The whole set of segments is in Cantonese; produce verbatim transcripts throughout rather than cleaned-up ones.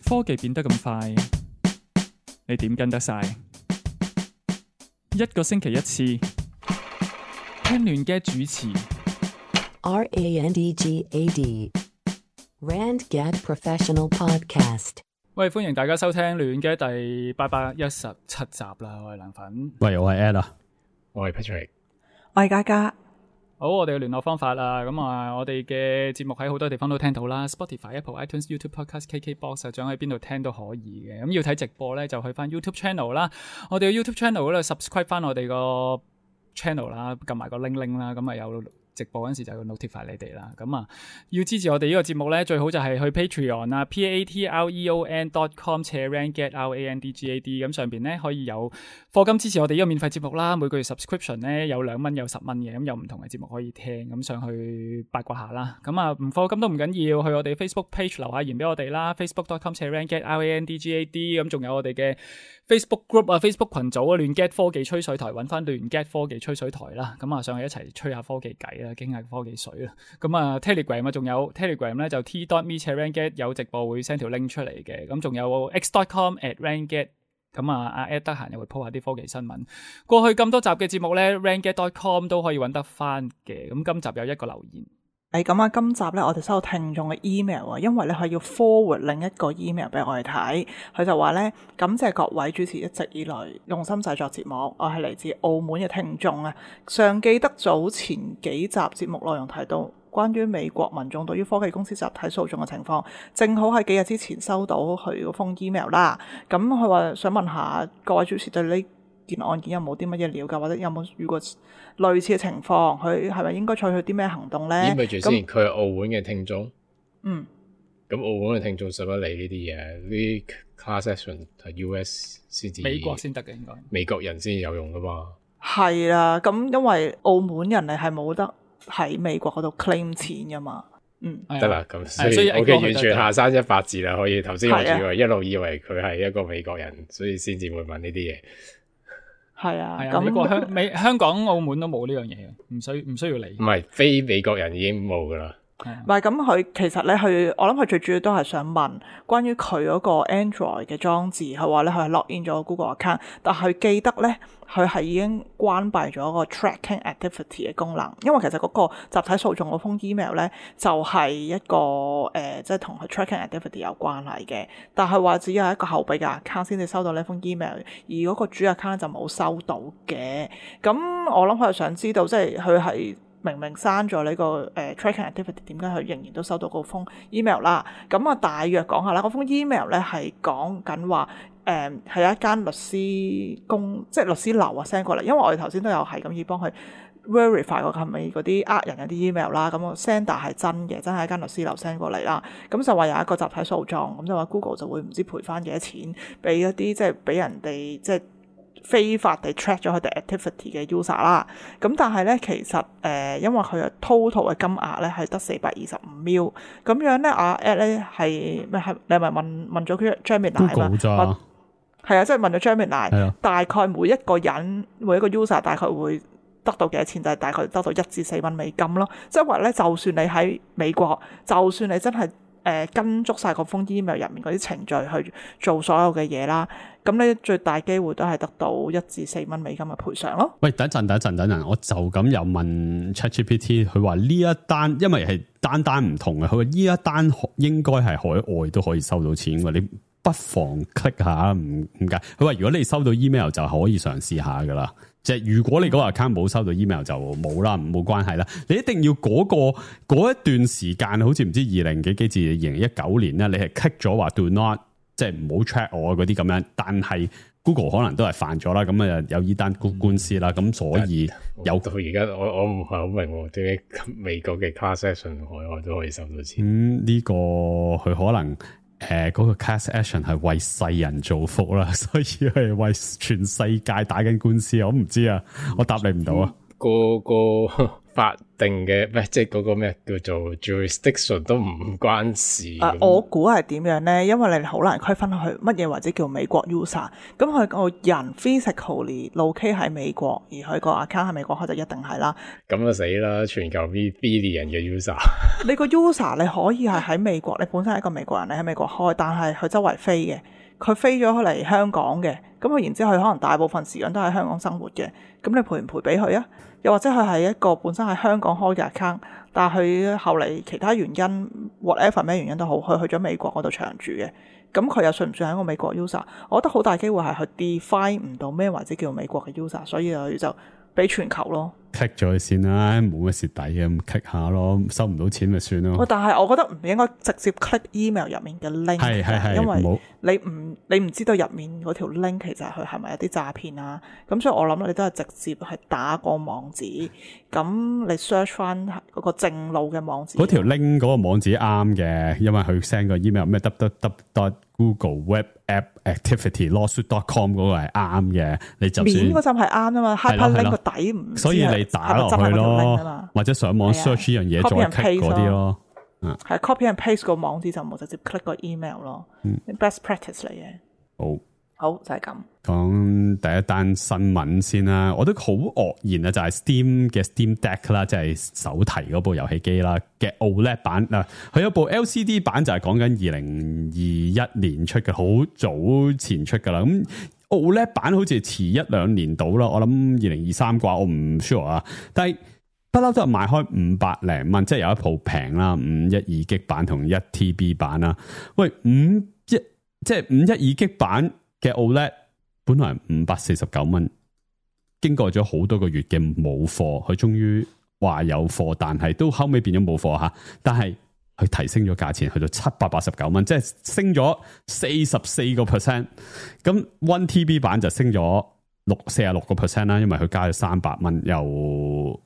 科技變得咁快，你點跟得晒？一個星期一次，聽亂嘅主持。R A N D G A D Randgad Professional Podcast。喂，歡迎大家收聽亂嘅第八百一十七集啦！我係梁粉，喂，我係 Ed 啊，我係 Patrick，我係嘉嘉。好，我哋嘅聯絡方法啦，咁啊，我哋嘅節目喺好多地方都聽到啦 ，Spotify、Apple、iTunes、YouTube Podcast、K K Box 啊，想喺邊度聽都可以嘅。咁要睇直播咧，就去翻 YouTube Channel 啦。我哋嘅 YouTube Channel 嗰度 subscribe 翻我哋個 channel 啦，撳埋個 link link 啦，咁啊有直播嗰陣時就要 notify 你哋啦。咁啊，要支持我哋呢個節目咧，最好就係去 Patreon 啊 ，p a t r e o n dot com 斜 randgad r a n d g a d， 咁上邊咧可以有課金支持我哋呢個免費節目啦。每個月 subscription 咧有兩蚊有十蚊嘅，咁有唔同嘅節目可以聽，咁上去八卦下啦。咁啊唔課金都唔緊要，去我哋 Facebook page 留下言俾我哋啦 ，facebook dot com 斜 randgad r a n d g a d， 咁仲有我哋嘅 Facebook group 啊 ，Facebook 群組啊，亂 get 科技吹水台，揾翻亂 get 科技吹水台啦。咁啊上去一齊吹下科技偈啦，傾下科技水啦。咁啊 Telegram 啊，仲有 Telegram 咧就 t dot me 斜 randgad 有直播會 send 條 link 出嚟嘅。咁仲有 x dot com at randgad。咁啊，阿 Ed 得閒又會 po 下啲科技新聞。過去咁多集嘅節目咧 randgad dot com 都可以揾得翻嘅。咁今集有一個留言。誒，咁啊，今集咧我哋收到聽眾嘅 email 啊，因為咧佢要 forward 另一個 email 俾我哋睇，佢就話咧感謝各位主持一直以來用心製作節目，我係嚟自澳門嘅聽眾啊，尚記得早前幾集節目內容提到關於美國民眾對於科技公司集體訴訟嘅情況，正好喺幾日之前收到佢嗰封 email 啦，咁佢話想問下各位主持對呢件案件有冇啲乜嘢了解，或者有冇遇過類似嘅情況？佢係咪應該採取啲咩行動咧？咦，咪住先，佢係澳門嘅聽眾。嗯。咁澳門嘅聽眾使乜理呢啲嘢？呢啲 class action 係 U S 先至，美國先得嘅應該。美國人先有用噶嘛？係啦，咁因為澳門人係係冇得喺美國嗰度 claim 錢噶嘛。嗯。得啦，咁所以 OK，完全下山一百字啦。可以頭先我以為一路以為佢係一個美國人，所以先至會問呢啲嘢。係啊，咁美國香美香港澳門都冇呢樣嘢，唔需唔需要理。唔係非美國人已經冇噶啦。唔係咁，佢其實咧，佢我諗佢最主要都係想問關於佢嗰個 Android 嘅裝置，佢話咧佢係 log in 咗 Google account，但係佢記得咧佢係已經關閉咗個 tracking activity 嘅功能，因為其實嗰個集體訴訟嗰封 email 咧就係、是、一個誒，即係同佢 tracking activity 有關係嘅，但係話只有一個後備嘅 account 先至收到呢封 email， 而嗰個主 account 就冇收到嘅。咁我諗佢係想知道，即係佢係。明明刪咗呢個誒、呃、tracking activity， 點解佢仍然都收到嗰封 email 啦？咁啊，大約講下啦。嗰封 email 咧係講緊話誒係一間律師公，即係律師樓啊 send 過嚟。因為我哋頭先都有係咁要幫佢 verify 過係咪嗰啲呃人嗰啲 email 啦。咁 sender 係真嘅，真係一間律師樓 send 過嚟啦。咁就話有一個集體訴訟，咁就話 Google 就會唔知賠翻幾多錢俾一啲即係俾人哋即係。非法地 track 咗佢哋 activity 嘅 user 啦，咁但係咧其實誒、呃，因為佢嘅 total 嘅金額咧係得四百二十五 mil，咁樣咧阿 Ed 咧係咩係？你係咪問問咗佢 Gemini 啊？嘛，係啊，即係問咗 Gemini，大概每一個人每一個 user 大概會得到幾多錢？就係、是、大概得到一至四蚊美金咯。即係話咧，就算你喺美國，就算你真係。誒、呃、跟足晒個封 email 入面嗰啲程序去做所有嘅嘢啦，咁你最大機會都係得到一至四蚊美金嘅賠償咯。喂，等一陣，等一陣，等陣，我就咁又問 ChatGPT， 佢話呢一單因為係單單唔同嘅，佢話呢一單應該係海外都可以收到錢嘅，你不妨 click 下，唔唔介。佢話如果你收到 email 就可以嘗試下噶啦。即係如果你嗰個 account 冇收到 email 就冇啦，冇關係啦。你一定要嗰、嗰個嗰一段時間，好似唔知二零幾幾至二零一九年咧，你係 click 咗話 do not， 即係唔好 track 我嗰啲咁樣。但係 Google 可能都係犯咗啦，咁啊有呢單官司啦，咁所以有到而家我我唔係好明點解美國嘅 class action 海外都可以收到錢。咁呢、嗯呢個佢可能。誒、呃，嗰、那個 class action 係為世人造福啦，所以係為全世界打緊官司，我唔知啊，我答你唔到啊。個個法定嘅，唔係即係嗰個咩叫做 jurisdiction 都唔關事。誒、呃，我估係點樣咧？因為你好難區分去乜嘢或者叫美國 user。咁佢個人 physically locate 喺美國，而佢個 account 喺美國開就一定係啦。咁就死啦！全球 billion 嘅 user。你個 user 你可以係喺美國，你本身係一個美國人，你喺美國開，但係佢周圍飛嘅，佢飛咗嚟香港嘅，咁佢然之後佢可能大部分時間都喺香港生活嘅，咁你賠唔賠俾佢啊？又或者佢係一個本身喺香港開嘅 account， 但係佢後嚟其他原因 whatever 咩原因都好，佢去咗美國嗰度長住嘅，咁佢又算唔算係一個美國 user？ 我覺得好大機會係佢 define 唔到咩或者叫美國嘅 user， 所以佢就俾全球咯。click 咗佢先啦，冇乜蝕底嘅，咁 click 下咯，收唔到錢咪算咯。但係我覺得唔應該直接 click email 入面嘅 link， 係係係，因為你唔你唔知道入面嗰條 link 其實佢係咪有啲詐騙啊？咁所以我諗你都係直接係打個網址，咁你 search 翻嗰個正路嘅網址。嗰條 link 嗰個網址啱嘅，因為佢 send 個 email 咩 w w w dot google web app activity lawsuit dot com 嗰個係啱嘅，你就算面嗰陣係啱啊嘛 ，hyperlink 個底唔，所以你打落去咯，或者上網 search 呢樣嘢再 click 嗰啲咯，係 copy and paste 個網址就冇直接 click 個 email 咯，嗯，best practice 嚟嘅。好，好就係咁。講第一單新聞先啦，我都好愕然啊，就係 Steam 嘅 Steam Deck 啦，即係手提嗰部遊戲機啦嘅 O L E D 版嗱，佢有部 L C D 版就係講緊二零二一年出嘅，好早前出噶啦。咁 O L E D 版好似遲一兩年到啦，我諗二零二三啩，我唔 sure 啊。但係不嬲都係賣開五百零蚊，即係有一部平啦，五一二 G 版同一 T B 版啦。喂，五一即係五一二 G 版嘅 O L E D。本來五百四十九蚊，經過咗好多個月嘅冇貨，佢終於話有貨，但係都後尾變咗冇貨吓。但係佢提升咗價錢，去到七百八十九蚊，即係升咗四十四個 percent。咁 one T B 版就升咗六四十六個 percent 啦，因為佢加咗三百蚊，由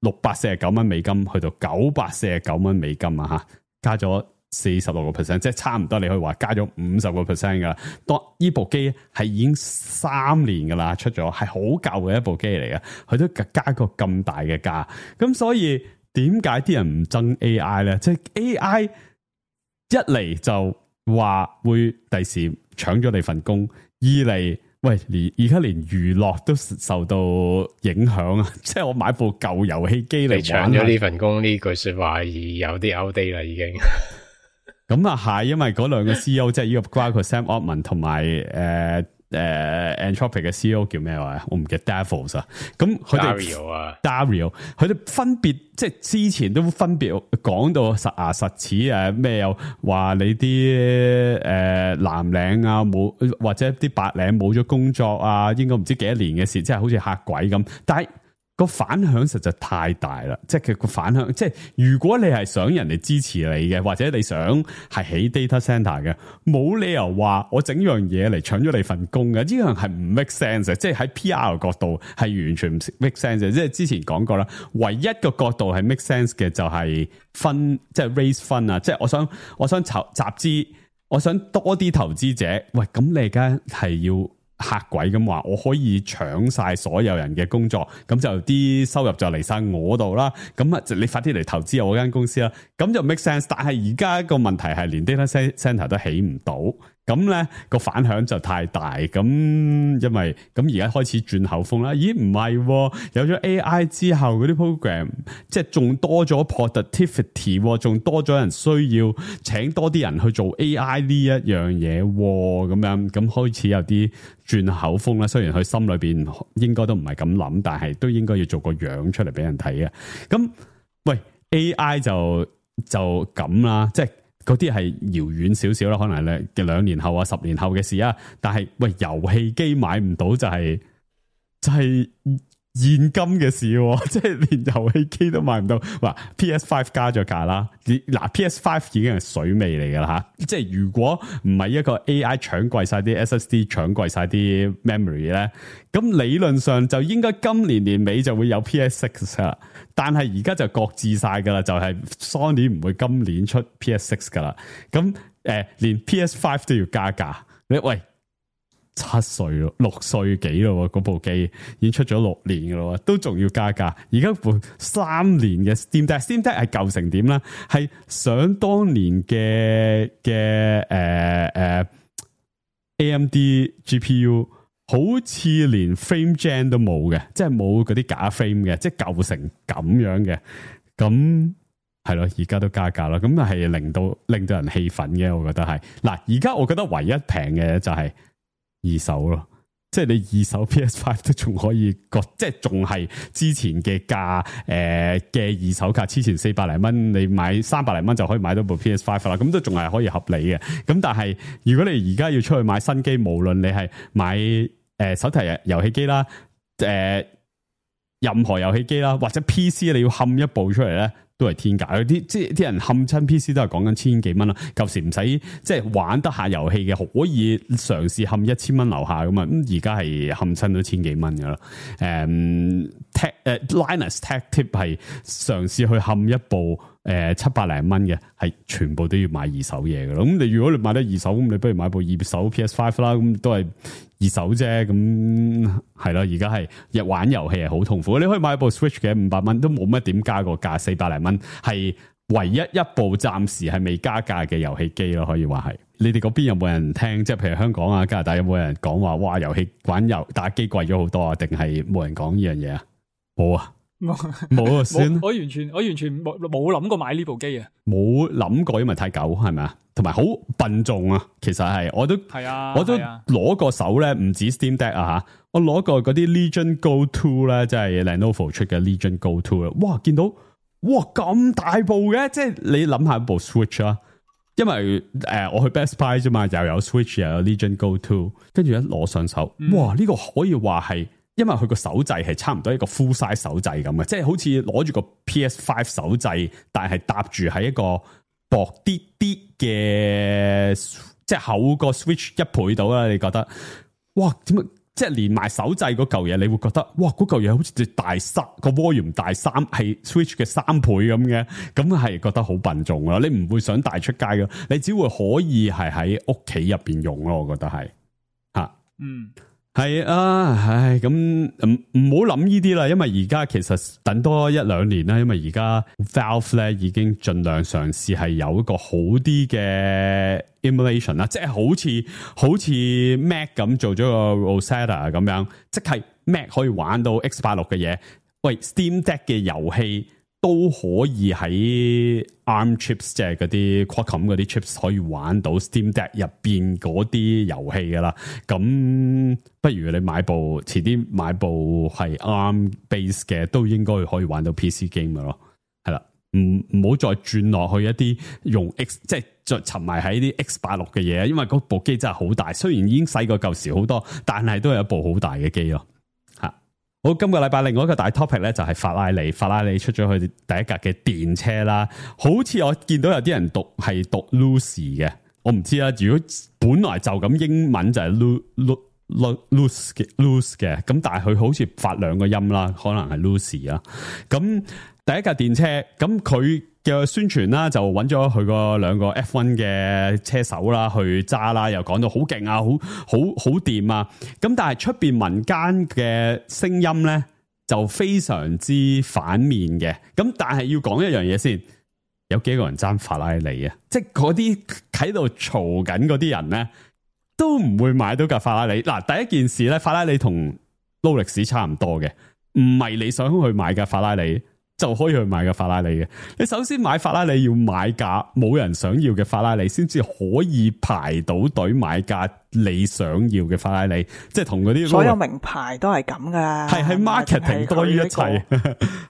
六百四十九蚊美金去到九百四十九蚊美金啊吓，加咗四十六個 percent， 即係差唔多，你可以話加咗五十個 percent 噶啦。當呢部機係已經三年噶啦，出咗係好舊嘅一部機嚟嘅，佢都加個咁大嘅價。咁所以點解啲人唔憎 A I 咧？即係 A I 一嚟就話會第時搶咗你份工，二嚟喂，連而家連娛樂都受到影響啊！即係我買部舊遊戲機嚟玩，搶咗呢份工呢句說話有啲 outdate 啦，已經。咁啊係，因為嗰兩個 C E O 即係呢個包括 Sam Altman 同埋誒誒 Anthropic 嘅 C E O 叫咩話？我唔記得 Davos 啊。咁佢哋 Dario 啊 ，Dario，佢哋分別即係之前都分別講到實牙實齒誒咩？又話你啲誒藍領啊冇，或者啲白領冇咗工作啊，應該唔知幾多年嘅事，即係好似嚇鬼咁。但係個反響實在太大啦，即係佢個反響，即係如果你係想人哋支持你嘅，或者你想係起 data center 嘅，冇理由話我整樣嘢嚟搶咗你份工嘅，呢樣係唔 make sense 嘅，即係喺 P R 角度係完全唔 make sense 嘅，即係之前講過啦，唯一個角度係 make sense 嘅就係分，即係 raise fund啊，即係我想我想籌集資，我想多啲投資者，喂，咁你而家係要嚇鬼咁話，我可以搶晒所有人嘅工作，咁就啲收入就嚟晒我度啦。咁啊，你快啲嚟投資我間公司啦。咁就 make sense。但係而家個問題係連 data center 都起唔到，咁咧個反響就太大。咁因為咁而家開始轉口風啦。咦，唔係，有咗 A I 之後嗰啲 program，即係仲多咗 productivity， 仲多咗人需要請多啲人去做 A I 呢一樣嘢，咁樣咁開始有啲轉口風啦。雖然佢心裏邊應該都唔係咁諗，但係都應該要做個樣出嚟俾人睇嘅。咁喂 A I 就就咁啦，即係嗰啲係遙遠少少啦，可能咧嘅兩年後啊、十年後嘅事啊。但係喂，遊戲機買唔到就係、是、就係、是、現今嘅事，即係連遊戲機都買唔到。話 P S 五 加咗價啦，嗱 P S 五 已經係水尾嚟噶啦吓。即係如果唔係一個 A I 搶貴晒啲 S S D， 搶貴晒啲 memory 咧，咁理論上就應該今年年尾就會有 P S 六 啦。但係而家就擱置晒噶啦，就係、是、Sony 唔會今年出 P S 六 噶啦。咁誒、呃，連 P S 五 都要加價。你喂，七歲咯，六歲幾咯，嗰部機已經出咗六年噶咯，都仲要加價。而家部三年嘅 Steam Deck，Steam Deck 係舊成點啦？係想當年嘅嘅誒誒 A M D G P U， 好似連 frame gen 都冇嘅，即係冇嗰啲假 frame 嘅，即係舊成咁樣嘅。咁係咯，而家都加價啦，咁係令到令到人氣憤嘅，我覺得係。嗱，而家我覺得唯一平嘅就係二手咯，即係你二手 P S 五 都仲可以個，即係仲係之前嘅價誒嘅二手價，之前四百零蚊，你買三百零蚊就可以買到部 P S 五 啦，咁都仲係可以合理嘅。咁但係如果你而家要出去買新機，無論你係買誒、呃、手提遊戲機啦，誒、呃、任何遊戲機啦，或者 P C 你要冚一部出嚟咧，都係天價。啲即係啲人冚親 P C 都係講緊千幾蚊啦。舊時唔使即係玩得下遊戲嘅，可以嘗試冚一千蚊樓下咁啊。咁而家係冚親都千幾蚊噶啦。誒 Tech 誒 Linus Tech Tip 係嘗試去冚一部誒七百零蚊嘅，係全部都要買二手嘢噶啦。咁你如果你買得二手，咁你不如買部二手 P S 五 啦。咁都係二手啫。咁係咯，而家係日玩遊戲係好痛苦。你可以買部 Switch 嘅五百蚊，都冇乜點加個價，四百零蚊係唯一一部暫時係未加價嘅遊戲機咯，可以話係。你哋嗰邊有冇人聽？即係譬如香港啊、加拿大有冇人講話哇遊戲玩遊打機貴咗好多啊？定係冇人講呢樣嘢啊？冇啊！冇啊，算我完全我完全冇冇諗過買呢部機啊，冇諗過，因為太舊係咪啊？同埋好笨重啊，其實係我都係啊，我都攞過手咧，唔止 Steam Deck 啊吓，我攞過嗰啲 Legion Go Two 咧，即係 Lenovo 出嘅 Legion Go Two 啦，哇，見到哇咁大部嘅，即係你諗下部 Switch 啊，因為誒、呃、我去 Best Buy 啫嘛，又有 Switch 又有 Legion Go Two， 跟住一攞上手，嗯、哇，呢、這個可以話係。因為佢個手掣係差唔多一個 full size 手掣咁嘅，即係好似攞住個 P S 五 手掣，但係搭住喺一個薄啲啲嘅，即係厚個 Switch 一倍到啦。你覺得？哇，點解？即係連埋手掣嗰嚿嘢，你會覺得哇，嗰嚿嘢好似大三個 volume 大三，係 Switch 嘅三倍咁嘅，咁係覺得好笨重啦。你唔會想帶出街嘅，你只會可以係喺屋企入邊用咯。我覺得係吓，嗯。係啊，唉，咁唔唔好諗呢啲啦，因為而家其實等多一兩年啦，因為而家 Valve 咧已經盡量嘗試係有一個好啲嘅 emulation 啦，即係好似好似 Mac 咁做咗個 Rosetta 咁樣，即係 Mac 可以玩到 X 八十六嘅嘢，喂 Steam Deck 嘅遊戲都可以喺 ARM chips 即係嗰啲 Qualcomm 嗰啲 chips 可以玩到 Steam Deck 入邊嗰啲遊戲噶啦，咁不如你買部遲啲買部係 ARM base 嘅，都應該可以玩到 P C game 噶咯，係啦，唔唔好再轉落去一啲用 X 即係再沉迷喺啲 X 八十六嘅嘢，因為嗰部機真係好大，雖然已經細過舊時好多，但係都係一部好大嘅機咯。好，今個禮拜另外一個大 topic 咧就係法拉利，法拉利出咗佢第一架嘅電車啦，好似我見到有啲人讀係讀 Lucy 嘅，我唔知啦。如果本來就咁英文就係 Lu Lu Lu Luce 嘅 Luce 嘅，咁但係佢好似發兩個音啦，可能係 Lucy 啊。咁第一架電車，咁佢嘅宣傳啦，就揾咗佢個兩個 F 一 嘅車手啦去揸啦，又講到好勁啊，好好好掂啊！咁但係出邊民間嘅聲音咧就非常之反面嘅。咁但係要講一樣嘢先，有幾個人爭法拉利啊？即係嗰啲喺度嘈緊嗰啲人咧，都唔會買到架法拉利。嗱，第一件事咧，法拉利同勞力士差唔多嘅，唔係你想去買架法拉利就可以去買架法拉利嘅。你首先買法拉利要買架冇人想要嘅法拉利，先至可以排到隊買架你想要嘅法拉利。即係同嗰啲所有名牌都係咁噶，係係 marketing 多於一切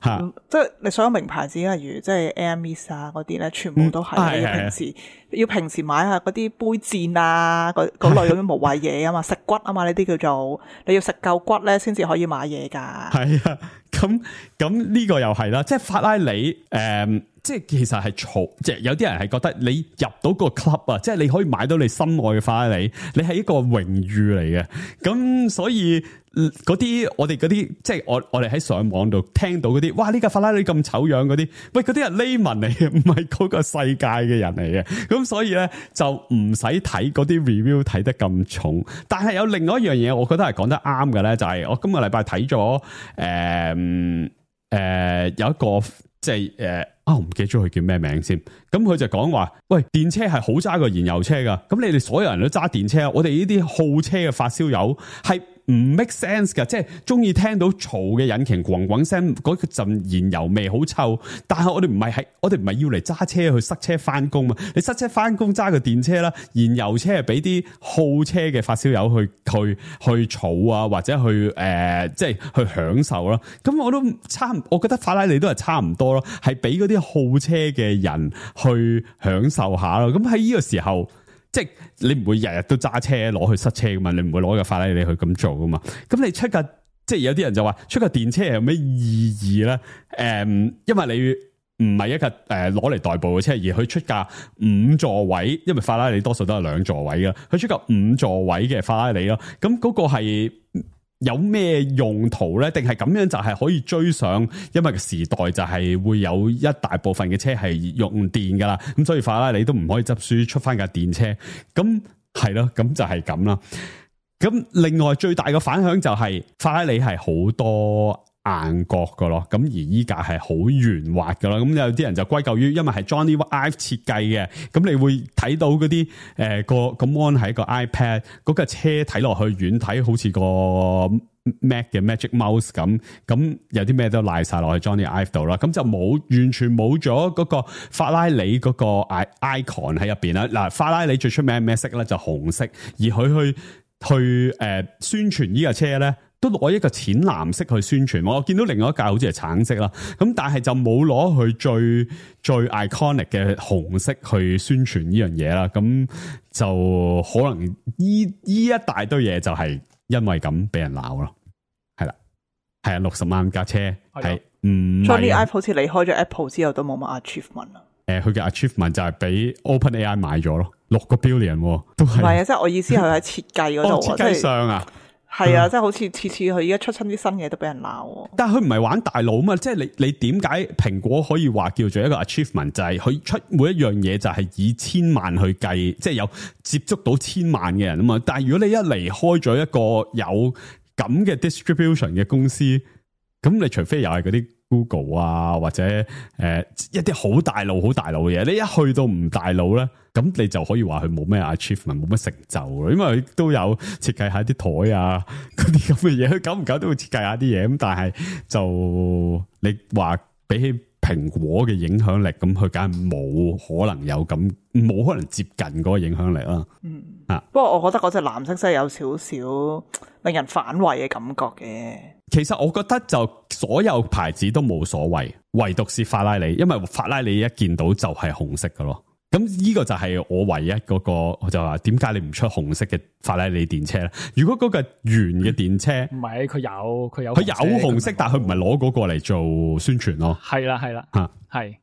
吓。即係你所有名牌子，例如即係 Hermes 啊嗰啲咧，全部都係、嗯、要平時要平時買下嗰啲杯墊啊，嗰嗰類咁樣無謂嘢啊嘛，食骨啊嘛，呢啲叫做你要食夠骨咧，先至可以買嘢噶。係啊，咁咁呢個又係啦，即係法拉利誒、嗯，即係其實係嘈，即係有啲人係覺得你入到個 club 啊，即係你可以買到你心愛嘅法拉利，你係一個榮譽嚟嘅。咁所以嗰啲我哋嗰啲，即係我我哋喺上網度聽到嗰啲，哇呢架法拉利咁醜樣嗰啲，喂嗰啲係 layman 嚟嘅，唔係嗰個世界嘅人嚟嘅。咁所以咧就唔使睇嗰啲 review 睇得咁重。但係有另外一樣嘢，我覺得係講得啱嘅咧，就係、是、我今個禮拜睇咗誒誒有一個即係誒啊，我唔記得咗佢叫咩名先。咁佢就講話，喂，電車係好揸過燃油車噶。咁你哋所有人都揸電車，我哋呢啲好車嘅發燒友係唔 make sense 噶，即係中意聽到嘈嘅引擎咣咣聲，嗰陣燃油味好臭。但係我哋唔係係，我哋唔係要嚟揸車去塞車翻工嘛。你塞車翻工揸個電車啦，燃油車係俾啲好車嘅發燒友去去去嘈啊，或者去誒、呃，即係去享受咯。咁我都差，我覺得法拉利都係差唔多咯，係俾嗰啲好車嘅人去享受下咯。咁喺呢個時候。即係你唔會日日都揸車攞去塞車噶嘛，你唔會攞個法拉利去咁做噶嘛。咁你出架即係有啲人就話出架電車有咩意義咧？誒、嗯，因為你唔係一架誒攞嚟代步嘅車，而佢出架五座位，因為法拉利多數都係兩座位噶，佢出架五座位嘅法拉利咯。咁嗰個係有咩用途咧？定係咁樣就係可以追上？因為個時代就係會有一大部分嘅車係用電噶啦，咁所以法拉利都唔可以執輸出翻架電車。咁係咯，咁就係咁啦。咁另外最大嘅反響就係法拉利係好多硬角噶咯，咁而依架係好圓滑噶啦。咁有啲人就歸咎於因為係 Johnny Ive 設計嘅，咁你會睇到嗰啲誒個個 mon 係一個 iPad， 嗰架車睇落去遠睇好似個 Mac 嘅 Magic Mouse 咁，咁有啲咩都賴晒落去 Johnny Ive 度啦，咁就冇完全冇咗嗰個法拉利嗰個 icon 喺入邊啦。嗱，法拉利最出名係咩色咧？就紅色，而佢去去誒、呃、宣傳呢架車咧。都攞一個淺藍色去宣傳，我見到另外一架好似係橙色啦，咁但係就冇攞佢最最 iconic 嘅紅色去宣傳呢樣嘢啦，咁就可能呢呢一大堆嘢就係因為咁俾人鬧咯，係啦，係啊，六十萬架車係唔 Johnny Ive 好似離開咗 Apple 之後都冇乜 achievement 啊。誒，佢嘅 achievement 就係俾 OpenAI 買咗咯，六個 billion 都係。唔係啊，即係我意思係喺設計嗰度，哦，設計上啊。係啊，即係好似次次佢而家出親啲新嘢都俾人鬧。但係佢唔係玩大腦嘛，即係你你點解蘋果可以話叫做一個 achievement，就係佢出每一樣嘢就係以千萬去計，即係有接觸到千萬嘅人啊嘛。但係如果你一離開咗一個有咁嘅 distribution 嘅公司，咁你除非又係嗰啲 Google 啊，或者誒、呃、一啲好大腦好大腦嘅嘢，你一去到唔大腦咧，咁你就可以話佢冇咩 achievement， 冇乜成就咯。因為佢都有設計下啲台啊，嗰啲咁嘅嘢，佢久唔久都會設計下啲嘢。咁但係就你話比起蘋果嘅影響力，咁佢梗係冇可能有咁，冇可能接近嗰個影響力啦。嗯啊，不過我覺得嗰隻藍色真係有少少令人反胃嘅感覺嘅。其實我覺得就所有牌子都冇所謂，唯獨是法拉利，因為法拉利一見到就係紅色㗎咯。咁呢個就係我唯一嗰、那個，我就話點解你唔出紅色嘅法拉利電車咧？如果嗰個圓嘅電車，唔係佢有佢有佢有紅色，但係佢唔係攞嗰個嚟做宣傳咯。係啦係啦，吓係。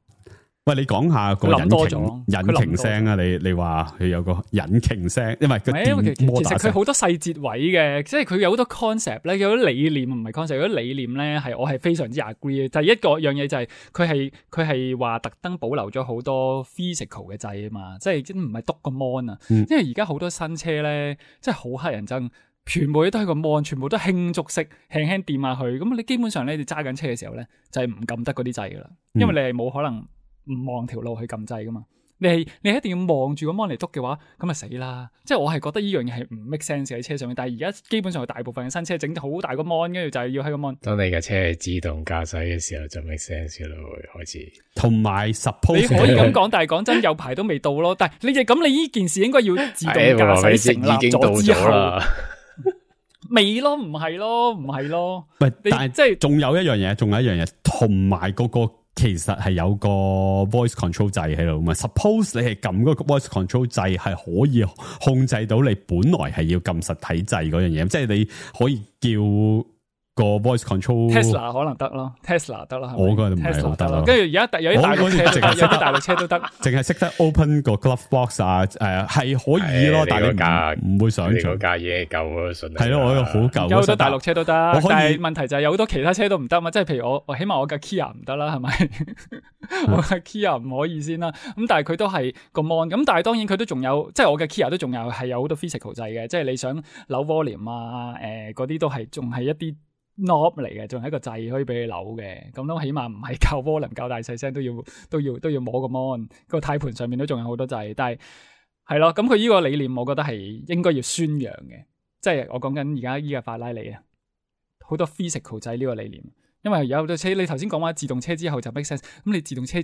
喂，你講下個引擎引擎聲啊？你你話佢有個引擎聲，因為個電摩打聲。其實佢好多細節位嘅，即係佢有好多 concept 咧，有啲理念唔係 concept，有啲理念咧係我係非常之 agree 嘅。第一個樣嘢就係佢係佢係話特登保留咗好多 physical 嘅掣啊嘛，即係唔係篤個 mon 啊，因為而家好多新車咧，即係好乞人憎。全部都係個 mon，全部都輕觸式，輕輕掂下去。咁你基本上咧，你揸緊車嘅時候咧，就係唔撳得嗰啲掣噶啦，因為你係冇可能唔望條路去撳掣噶嘛。你係你一定要望住個 mon 嚟篤嘅話，咁咪死啦！即係我係覺得呢樣嘢係唔 make sense 喺車上面。但係而家基本上大部分嘅新車整好大個 mon，跟住就係要喺個 mon。當你嘅車係自動駕駛嘅時候，就 make sense 嘅咯，會開始。同埋 suppose 你可以咁講，但係講真，有排都未到咯。但係你哋咁，你呢件事應該要自動駕駛成立咗之後。未咯，唔係咯，唔係咯。喂，但係即係仲有一樣嘢，仲有一樣嘢，同埋嗰個其實係有個 voice control 掣喺度嘛。Suppose 你係撳嗰個 voice control 掣係可以控制到你本來係要撳實體掣嗰樣嘢，即係你可以叫個 voice control Tesla 可能得咯 ，Tesla 得啦，我嗰個唔係好得咯。跟住而家有啲大陸車，有啲大陸車都得，淨係識得 open 個 glove box 啊，誒係可以咯，但係你價唔會想象個價已經夠咯，順係咯，我個好舊，有好多大陸車都得，但可以係問題就係有好多其他車都唔得嘛，即係譬如我，我起碼我架 Kia 唔得啦，係咪？我架 Kia 唔可以先啦，咁但係佢都係個 mon，咁但係當然佢都仲有，即係我嘅 Kia 都仲有係有好多 physical 掣嘅，即係你想扭 volume 啊，誒嗰啲都係仲係一啲 knob 嚟嘅，仲係一個掣可以俾你扭嘅，咁都起碼唔係靠 volume 較大細聲都要都要都要摸個 mon，個軚盤上面都仲有好多掣，但係係咯，咁佢呢個理念我覺得係應該要宣揚嘅，即係我講緊而家依架法拉利啊，好多 physical 掣呢個理念。因為有好多車，你頭先講話自動車之後就 make sense，咁你自動車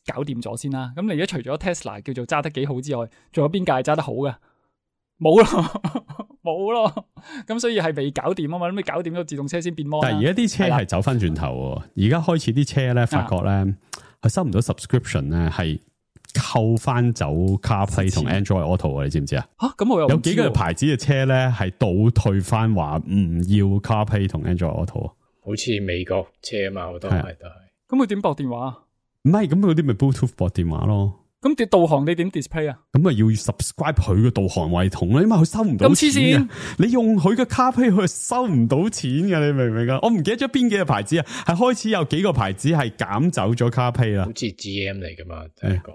搞掂咗先啦。咁你而家除咗 Tesla 叫做揸得幾好之外，仲有邊架係揸得好嘅？冇咯，冇咯。咁所以係未搞掂啊嘛，咁你搞掂咗自動車先變摩。但係而家啲車係走翻轉頭喎，而家開始啲車咧，發覺咧佢、啊、收唔到 subscription 咧，係扣翻走 CarPlay 同 Android Auto 啊！你知唔知啊？吓，咁我有有幾個牌子嘅車咧係倒退翻話唔要 CarPlay 同 Android Auto。好似美國車啊嘛，好多係都係。咁佢點駁電話啊？唔係，咁嗰啲咪 Bluetooth 駁電話咯。咁啲導航你點 display 啊？咁啊要 subscribe 佢嘅導航系統啦，因為佢收唔到錢。咁黐線！你用佢嘅 CarPlay 佢收唔到錢嘅，你明唔明啊？我唔記得咗邊幾個牌子啊，係開始有幾個牌子係減走咗 CarPlay 啦。好似 G M 嚟噶嘛，第一個。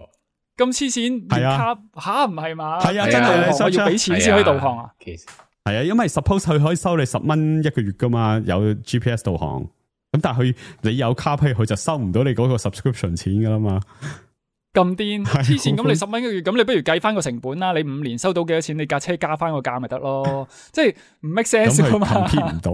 咁黐線，係啊，吓唔係嘛？係啊，真係我要俾錢先可以導航啊。其實。係啊，因為 suppose 佢可以收你十蚊一個月噶嘛，有 G P S 導航。咁但係佢你有 CarPlay，佢就收唔到你嗰個 subscription 錢噶啦嘛。咁癲黐線，咁你十蚊一個月，咁你不如計翻個成本啦。你五年收到幾多錢？你架車加翻個價咪得咯。即係唔 make sense 噶嘛。咁佢唔到，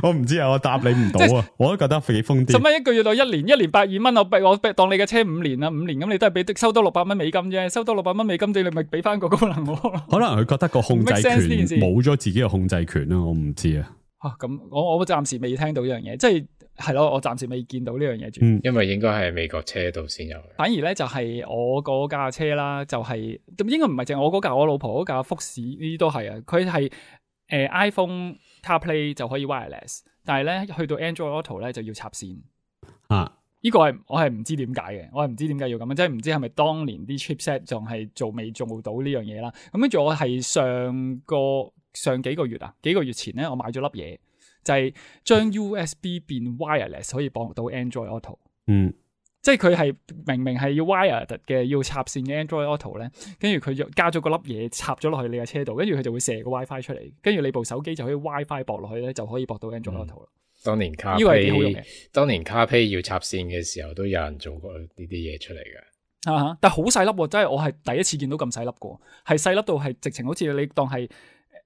我唔知啊，我答你唔到啊。我都覺得幾瘋癲。十蚊一個月到一年，一年百二蚊，我我當你嘅車五年啦，五年咁你都係俾收多六百蚊美金啫，收多六百蚊美金，你咪俾翻個功能我。可能佢覺得個控制權冇咗自己嘅控制權啦，我唔知啊。吓咁，我我暫時未聽到呢樣嘢，即係。係咯，我暫時未見到呢樣嘢住，因為應該係美國車度先有。反而咧就係我嗰架車啦，就係、是、咁應該唔係淨係我嗰架，我老婆嗰架福士呢啲都係啊。佢係誒 iPhone CarPlay 就可以 wireless， 但係咧去到 Android Auto 咧就要插線啊。呢個係我係唔知點解嘅，我係唔知點解要咁樣，即係唔知係咪當年啲 chipset 仲係做未做到呢樣嘢啦。咁跟住我係上個上幾個月啊，幾個月前咧我買咗粒嘢。就係將 U S B 變 wireless 可以駁到 Android Auto， 嗯，即係佢係明明係要 wired 嘅要插線嘅 Android Auto 咧，跟住佢就加咗個粒嘢插咗落去你嘅車度，跟住佢就會射個 WiFi 出嚟，跟住你部手機就可以 WiFi 駁落去咧，就可以駁到 Android Auto 啦。當年 CarPlay 當年 CarPlay 要插線嘅時候，都有人做過呢啲嘢出嚟嘅。啊，但係好細粒，真係我係第一次見到咁細粒過，係細粒到係直情好似你當係。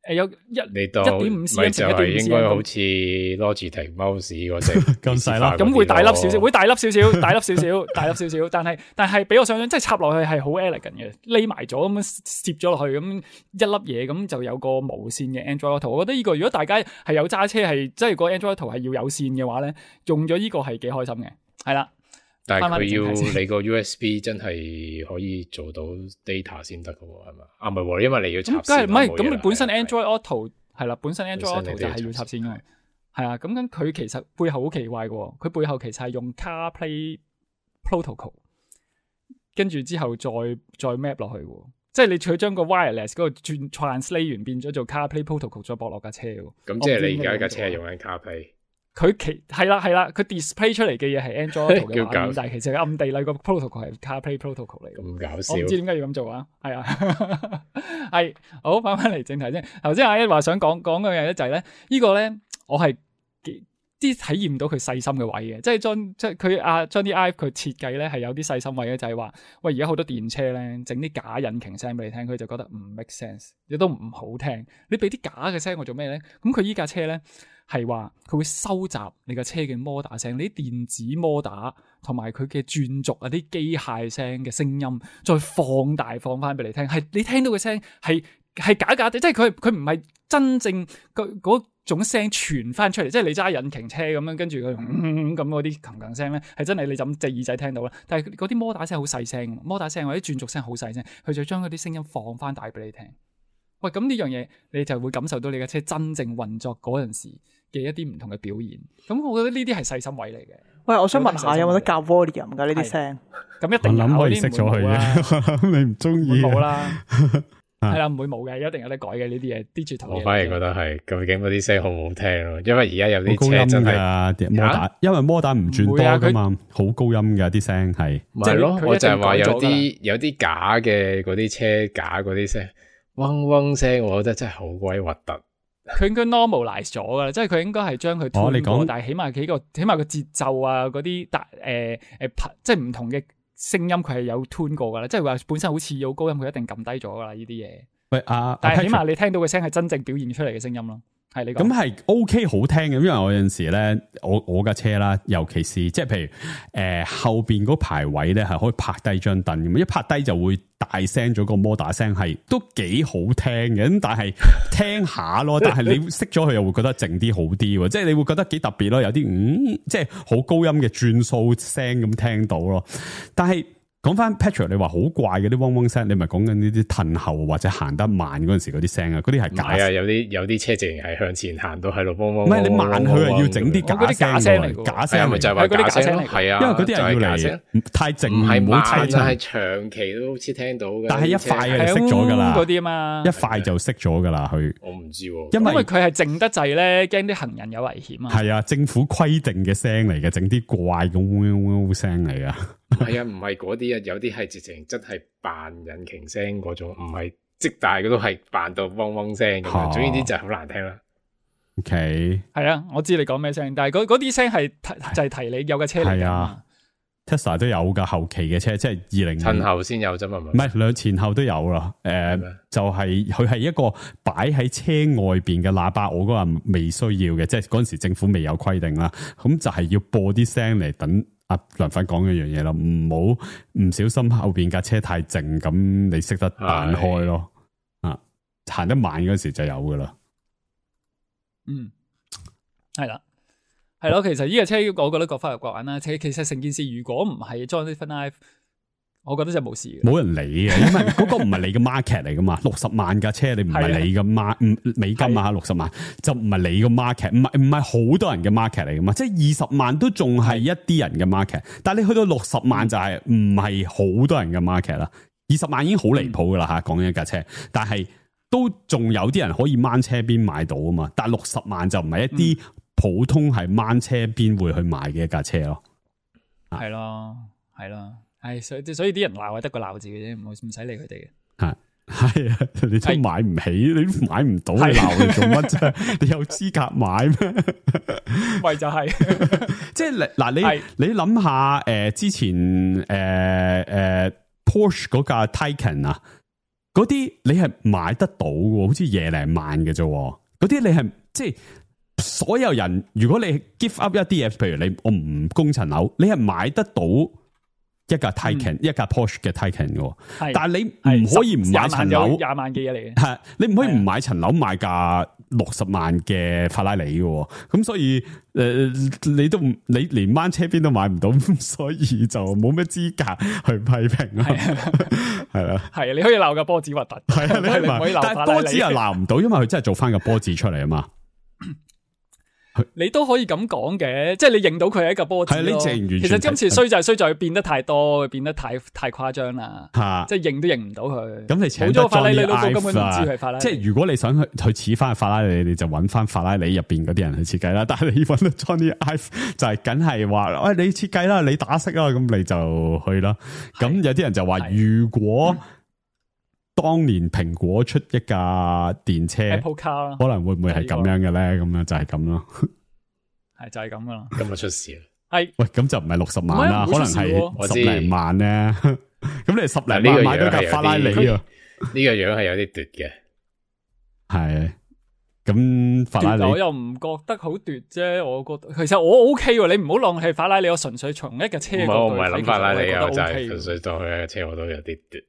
誒，有一一點五 cm 就係應該好似 Logitech mouse 嗰隻咁細粒，咁會大粒少少，會大粒少少，大粒少少，大粒少少。但係但係俾我想象，即係插落去係好 elegant 嘅，匿埋咗咁樣攝咗落去，咁一粒嘢咁就有個無線嘅 Android Auto。我覺得呢個如果大家係有揸車係即係個 Android Auto 係要有線嘅話咧，用咗呢個係幾開心嘅，係啦。但係佢要你個 U S B 真係可以做到 data 先得㗎喎，係嘛？啊唔係，因為你要插線。咁梗係唔係？咁你本身 Android Auto 係啦，本身 Android Auto 就係要插線㗎嘛。係啊，咁咁佢其實背後好奇怪嘅，佢背後其實係用 CarPlay Protocol， 跟住之後再再 map 落去，即係你佢將個 wireless 嗰個轉 translate 完變咗做 CarPlay Protocol 再駁落架車。咁即係你而家架車係用緊 CarPlay。佢其係啦係啦，佢 display 出嚟嘅嘢係 Android Auto 嘅畫面，但係其實暗地裏個 protocol 係 CarPlay protocol 嚟嘅。咁搞笑，我唔知點解要咁做啊？係啊，係好翻翻嚟正題先。頭先阿一話想講講嘅嘢咧就係咧，呢個咧我係啲體驗到佢細心嘅位嘅，即係將即係佢啊將啲 Ive 佢設計咧係有啲細心位嘅，就係話喂而家好多電車咧整啲假引擎聲俾你聽，佢就覺得唔 make sense， 亦都唔好聽。你俾啲假嘅聲我做咩咧？咁佢依架車咧。係話佢會收集你架車嘅摩打聲，你啲電子摩打同埋佢嘅轉軸啊啲機械聲嘅聲音，再放大放翻俾你聽。係你聽到嘅聲係係假假地，即係佢佢唔係真正嗰嗰種聲傳翻出嚟。即係你揸引擎車咁樣，跟住佢咁嗰啲琴琴聲咧，係真係你就咁隻耳仔聽到啦。但係嗰啲摩打聲好細聲，摩打聲或者轉軸聲好細聲，佢就將嗰啲聲音放翻大俾你聽。喂，咁呢樣嘢你就會感受到你架車真正運作嗰陣時嘅一啲唔同嘅表現。咁我覺得呢啲係細心位嚟嘅。喂，我想問下有冇得教 volume 㗎呢啲聲？咁一定有，我諗可以熄咗佢嘅。你唔中意冇啦。係啦，唔會冇嘅，一定有得改嘅呢啲嘢。digital 我反而覺得係究竟嗰啲聲好唔好聽咯，因為而家有啲車真係摩打，因為摩打唔轉多噶嘛，好高音噶啲聲係。咪係咯，我就係話有啲有啲假嘅嗰啲車假嗰啲聲，嗡嗡聲，我覺得真係好鬼核突。佢應該 normalize 咗噶啦，即係佢應該係將佢 tune 過，但係起碼幾個起碼個節奏啊嗰啲大誒誒即係唔同嘅聲音佢係有 tune 過噶啦，即係話本身好似有高音，佢一定撳低咗噶啦呢啲嘢。喂啊，但係起碼你聽到嘅聲係真正表現出嚟嘅聲音咯。係你講咁係 OK 好聽嘅，因為我有陣時咧，我我架車啦，尤其是即係譬如誒、呃、後邊嗰排位咧係可以拍低張凳咁，一拍低就會大聲咗個摩打聲，係都幾好聽嘅。咁但係聽下咯，但係你熄咗佢又會覺得靜啲好啲，即係你會覺得幾特別咯。有啲嗯，即係好高音嘅轉數聲咁聽到咯，但係。講翻 Patrick， 你話好怪嘅啲嗡嗡聲，你咪講緊呢啲褪後或者行得慢嗰陣時嗰啲聲啊，嗰啲係假。係啊，有啲有啲車直情係向前行到喺度嗡嗡。唔係你慢佢係要整啲假聲嚟，假聲咪就係話假聲嚟。係啊，因為嗰啲係要嚟太靜，唔係慢，就係長期都好似聽到嘅。但係一塊就熄咗噶啦，嗰啲啊嘛，一塊就熄咗噶啦，佢。我唔知，因為佢係靜得滯咧，驚啲行人有危險啊。係啊，政府規定嘅聲嚟嘅，整啲怪咁嗡嗡聲嚟噶。係啊，唔係嗰啲啊，有啲係直情真係扮引擎聲嗰種，唔係即大嘅都係扮到嗡嗡聲咁樣。總之啲就係好難聽啦。OK，係啊，我知你講咩聲，但係嗰啲聲係就係提你有架車嚟㗎嘛。Tesla 都有噶，後期嘅車即係二零前後先有啫嘛，唔係兩前後都有啦。誒、呃，就係佢係一個擺喺車外邊嘅喇叭，我嗰個未需要嘅，即係嗰陣時政府未有規定啦。咁就係要播啲聲嚟等。阿梁粉講一樣嘢啦，唔好唔小心後邊架車太靜，咁你識得彈開咯。啊，行得慢嗰時就有噶啦。嗯，係啦，係咯。其實呢架車我覺得各花入各眼啦。其實成件事如果唔係 Jonathan Ive，我覺得就冇事嘅。冇人理嘅，因為嗰個唔係你嘅 market 嚟噶嘛。六十萬架車你唔係你嘅 market，美金啊，六十萬就唔係你嘅 market，唔係唔係好多人嘅 market 嚟噶嘛。即係二十萬都仲係一啲人嘅 market，但係你去到六十萬就係唔係好多人嘅 market 啦。二十萬已經好離譜噶啦吓，講緊一架車，但係都仲有啲人可以掹車邊買到啊嘛。但係六十萬就唔係一啲普通係掹車邊會去買嘅一架車咯。係咯，係咯。係，所以所以啲人鬧係得個鬧字嘅啫，唔唔使理佢哋嘅。係係啊，你都買唔起，你都買唔到，你鬧你做乜啫？你有資格買咩？咪就係、是，即係嗱，你你諗下，誒、呃，之前誒誒、呃呃、Porsche 嗰架 Taycan 啊，嗰啲你係買得到嘅，好似廿零萬嘅啫，嗰啲你係即係所有人，如果你 give up 一啲嘢，譬如你我唔供層樓，你係買得到。一架 Taycan、嗯、一架 Porsche 嘅 Taycan 嘅，但係你唔可以唔買層樓，廿萬嘅嘢嚟嘅。係你唔可以唔買層樓買架六十萬嘅法拉利嘅，咁所以誒、呃，你都唔你連掹車邊都買唔到，所以就冇咩資格去批評啦。係啦，係啊，你可以鬧架波子核突，係啊，你唔可以鬧，但係波子又鬧唔到，因為佢真係做翻個波子出嚟啊嘛。你都可以咁講嘅，即係你認到佢係一個波子咯。其實今次衰就係衰在佢變得太多，變得太太誇張啦。吓，即係認都認唔到佢。咁你請冇咗法拉利，根本唔知係法拉利。即係如果你想去去似翻法拉利，你就揾翻法拉利入邊嗰啲人去設計啦。但係你揾到 Johnny Ive 就係梗係話，喂，你設計啦，你打色啦，咁你就去啦。咁有啲人就話，如果當年蘋果出一架電車 Apple Car， 可能會唔會係咁樣嘅咧？咁樣就係咁咯，係就係咁噶啦。今日出事啦，係喂，咁就唔係六十萬啦，可能係十零萬咧。咁你十零萬買到架法拉利啊？呢個樣係有啲奪嘅，係咁法拉利我又唔覺得好奪啫。我覺得其實我 OK 喎，你唔好浪費法拉利，我純粹從一架車角度睇，我唔係諗法拉利啊，就係純粹當佢一架車，我都有啲奪。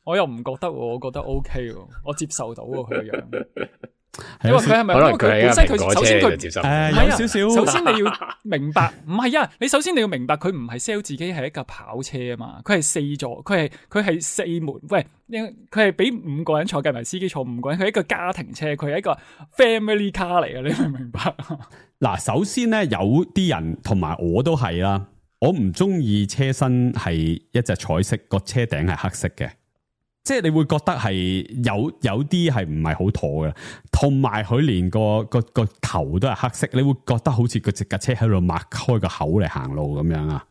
我又唔覺得，我覺得 OK 喎，我接受到喎佢個樣。因為佢係咪因為佢本身佢首先佢接受誒有少少，首先你要明白，唔係啊，你首先你要明白佢唔係 sell 自己係一架跑車啊嘛，佢係四座，佢係佢係四門，喂，佢係俾五個人坐，計埋司機坐五個人，佢係一個家庭車，佢係一個 family car 嚟嘅，你明唔明白？嗱，首先咧有啲人同埋我都係啦，我唔中意車身係一隻彩色，個車頂係黑色嘅。即係你會覺得係有有啲係唔係好妥嘅，同埋佢連個個個頭都係黑色，你會覺得好似個隻架車喺度擘開個口嚟行路咁樣啊！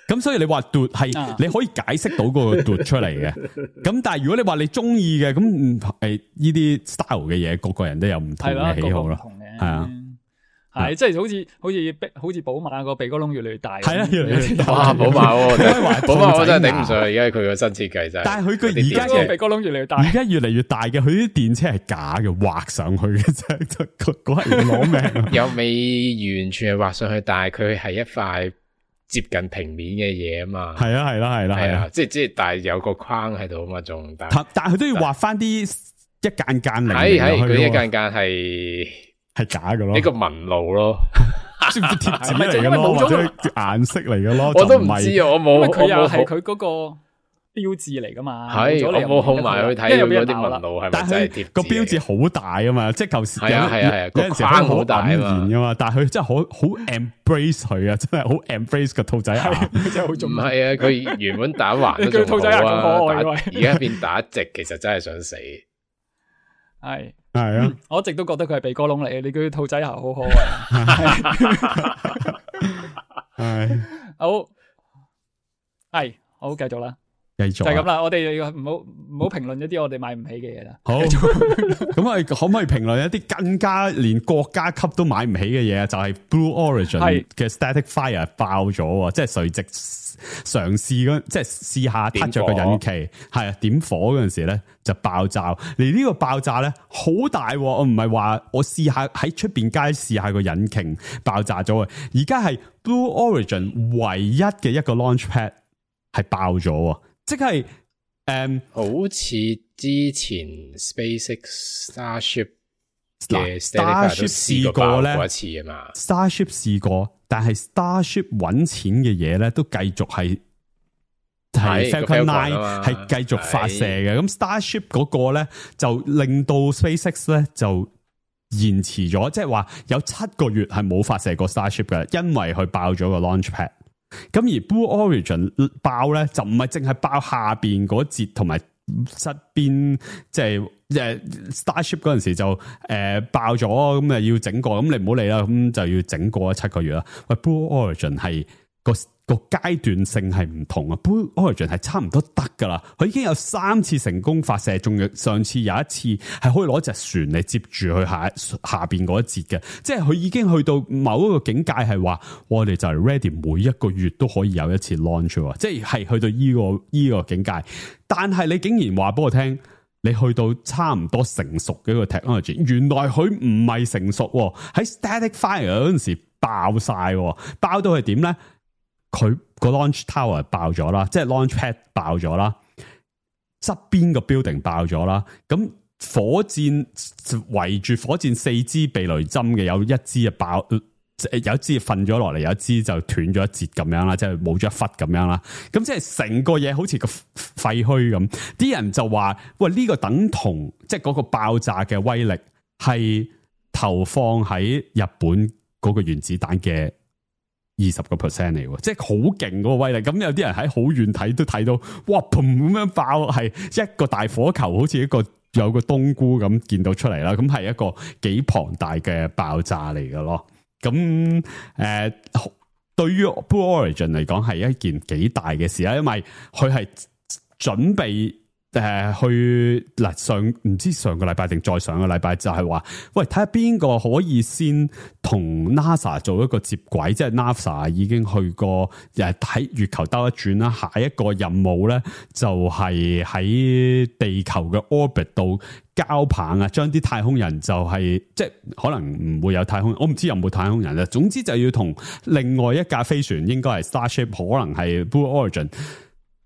咁所以你話奪係你可以解釋到嗰個奪出嚟嘅，咁但係如果你話你中意嘅，咁誒呢啲 style 嘅嘢，個個人都有唔同嘅喜好咯，係啊。係，即係好似好似好似寶馬個鼻哥窿越嚟越大，係啊，越嚟越大。哇，寶馬，寶馬我真係頂唔順，而家佢個新設計真係。但係佢佢而家個鼻哥窿越嚟越大，而家越嚟越大嘅，佢啲電車係假嘅，畫上去嘅啫，嗰係攞命。又未完全係畫上去，但係佢係一塊接近平面嘅嘢啊嘛。係啊，係啦，係啦，係啊，即係即係，但係有個框喺度啊嘛，仲但但係佢都要畫翻啲一間間嚟。係係，佢一間間係。係假嘅咯，呢個紋路咯，知唔知貼紙嚟嘅咯，或者顏色嚟嘅咯？我都唔知啊，我冇，佢又係佢嗰個標誌嚟噶嘛？係我冇控埋去睇嗰啲紋路係咪真係貼？個標誌好大啊嘛，即係舊時係啊係啊係啊，個框好大啊嘛，噶嘛，但係佢真係好好 embrace 佢啊，真係好 embrace 個兔仔牙，真係好中意。唔係啊，佢原本打橫都仲好啊，而家變打直，其實真係想死。係。係啊、嗯，我一直都覺得佢係鼻哥窿嚟嘅，你叫兔仔牙好可愛。係，好，係，好，繼續啦，繼續、啊、就係咁啦。我哋唔好唔好評論一啲我哋買唔起嘅嘢啦。好，咁我哋可唔可以評論一啲更加連國家級都買唔起嘅嘢啊？就係、是、Blue Origin 嘅 Static Fire 爆咗，即係垂直嘗試嗰，即係試下撻着個引擎，係啊，點火嗰陣時咧就爆炸。而呢個爆炸咧好大，我唔係話我試下喺出邊街試下個引擎爆炸咗啊！而家係 Blue Origin 唯一嘅一個 launchpad 係爆咗，即係誒，嗯、好似之前 SpaceX Starship 嘅 Starship 試過咧一次啊嘛 ，Starship 試過。但係 Starship 揾錢嘅嘢咧，都繼續係係 Falcon Nine 係繼續發射嘅。咁 Starship 嗰個咧就令到 SpaceX 咧就延遲咗，即係話有七個月係冇發射過 Starship 嘅，因為佢爆咗個 launchpad。咁而 Blue Origin 爆咧就唔係淨係爆下邊嗰節同埋側邊，即係誒 Starship 嗰陣時就誒、呃、爆咗，咁啊要整過，咁你唔好理啦，咁就要整過七個月啦。喂 Blue Origin 係個個階段性係唔同啊 ，Blue Origin 係差唔多得噶啦，佢已經有三次成功發射，仲有上次有一次係可以攞隻船嚟接住去下下邊嗰一節嘅，即係佢已經去到某一個境界係話，我哋就係 ready 每一個月都可以有一次 launch， 即係係去到呢個呢個境界。但係你竟然話俾我聽，你去到差唔多成熟嘅一個 technology， 原來佢唔係成熟喺 Static Fire 嗰陣時爆晒，爆到係點咧？佢個 launch tower 爆咗啦，即係 launch pad 爆咗啦，側邊個 building 爆咗啦。咁火箭圍住火箭四支避雷針嘅，有一支啊爆，有一支瞓咗落嚟，有一支就斷咗一截咁樣啦，即係冇咗一忽咁樣啦。咁即係成個嘢好似個廢墟咁。啲人就話：喂，呢個等同即係嗰個爆炸嘅威力係投放喺日本嗰個原子彈嘅二十個 percent 嚟，即係好勁嗰個威力。咁有啲人喺好遠睇都睇到，哇，嘭咁樣爆，係一個大火球，好似一個有個冬菇咁見到出嚟啦。咁係一個幾龐大嘅爆炸嚟嘅咯。咁誒、呃，對於 Blue Origin 嚟講係一件幾大嘅事啦，因為佢係準備。誒、呃，去嗱上唔知上個禮拜定再上個禮拜就係話，喂，睇下邊個可以先同 NASA 做一個接軌，即係 NASA 已經去過誒喺月球兜一轉啦，下一個任務咧就係喺地球嘅 orbit 度交棒啊，將啲太空人就係、是、即係可能唔會有太空人，我唔知有冇太空人啦。總之就要同另外一架飛船，應該係 Starship， 可能係 Blue Origin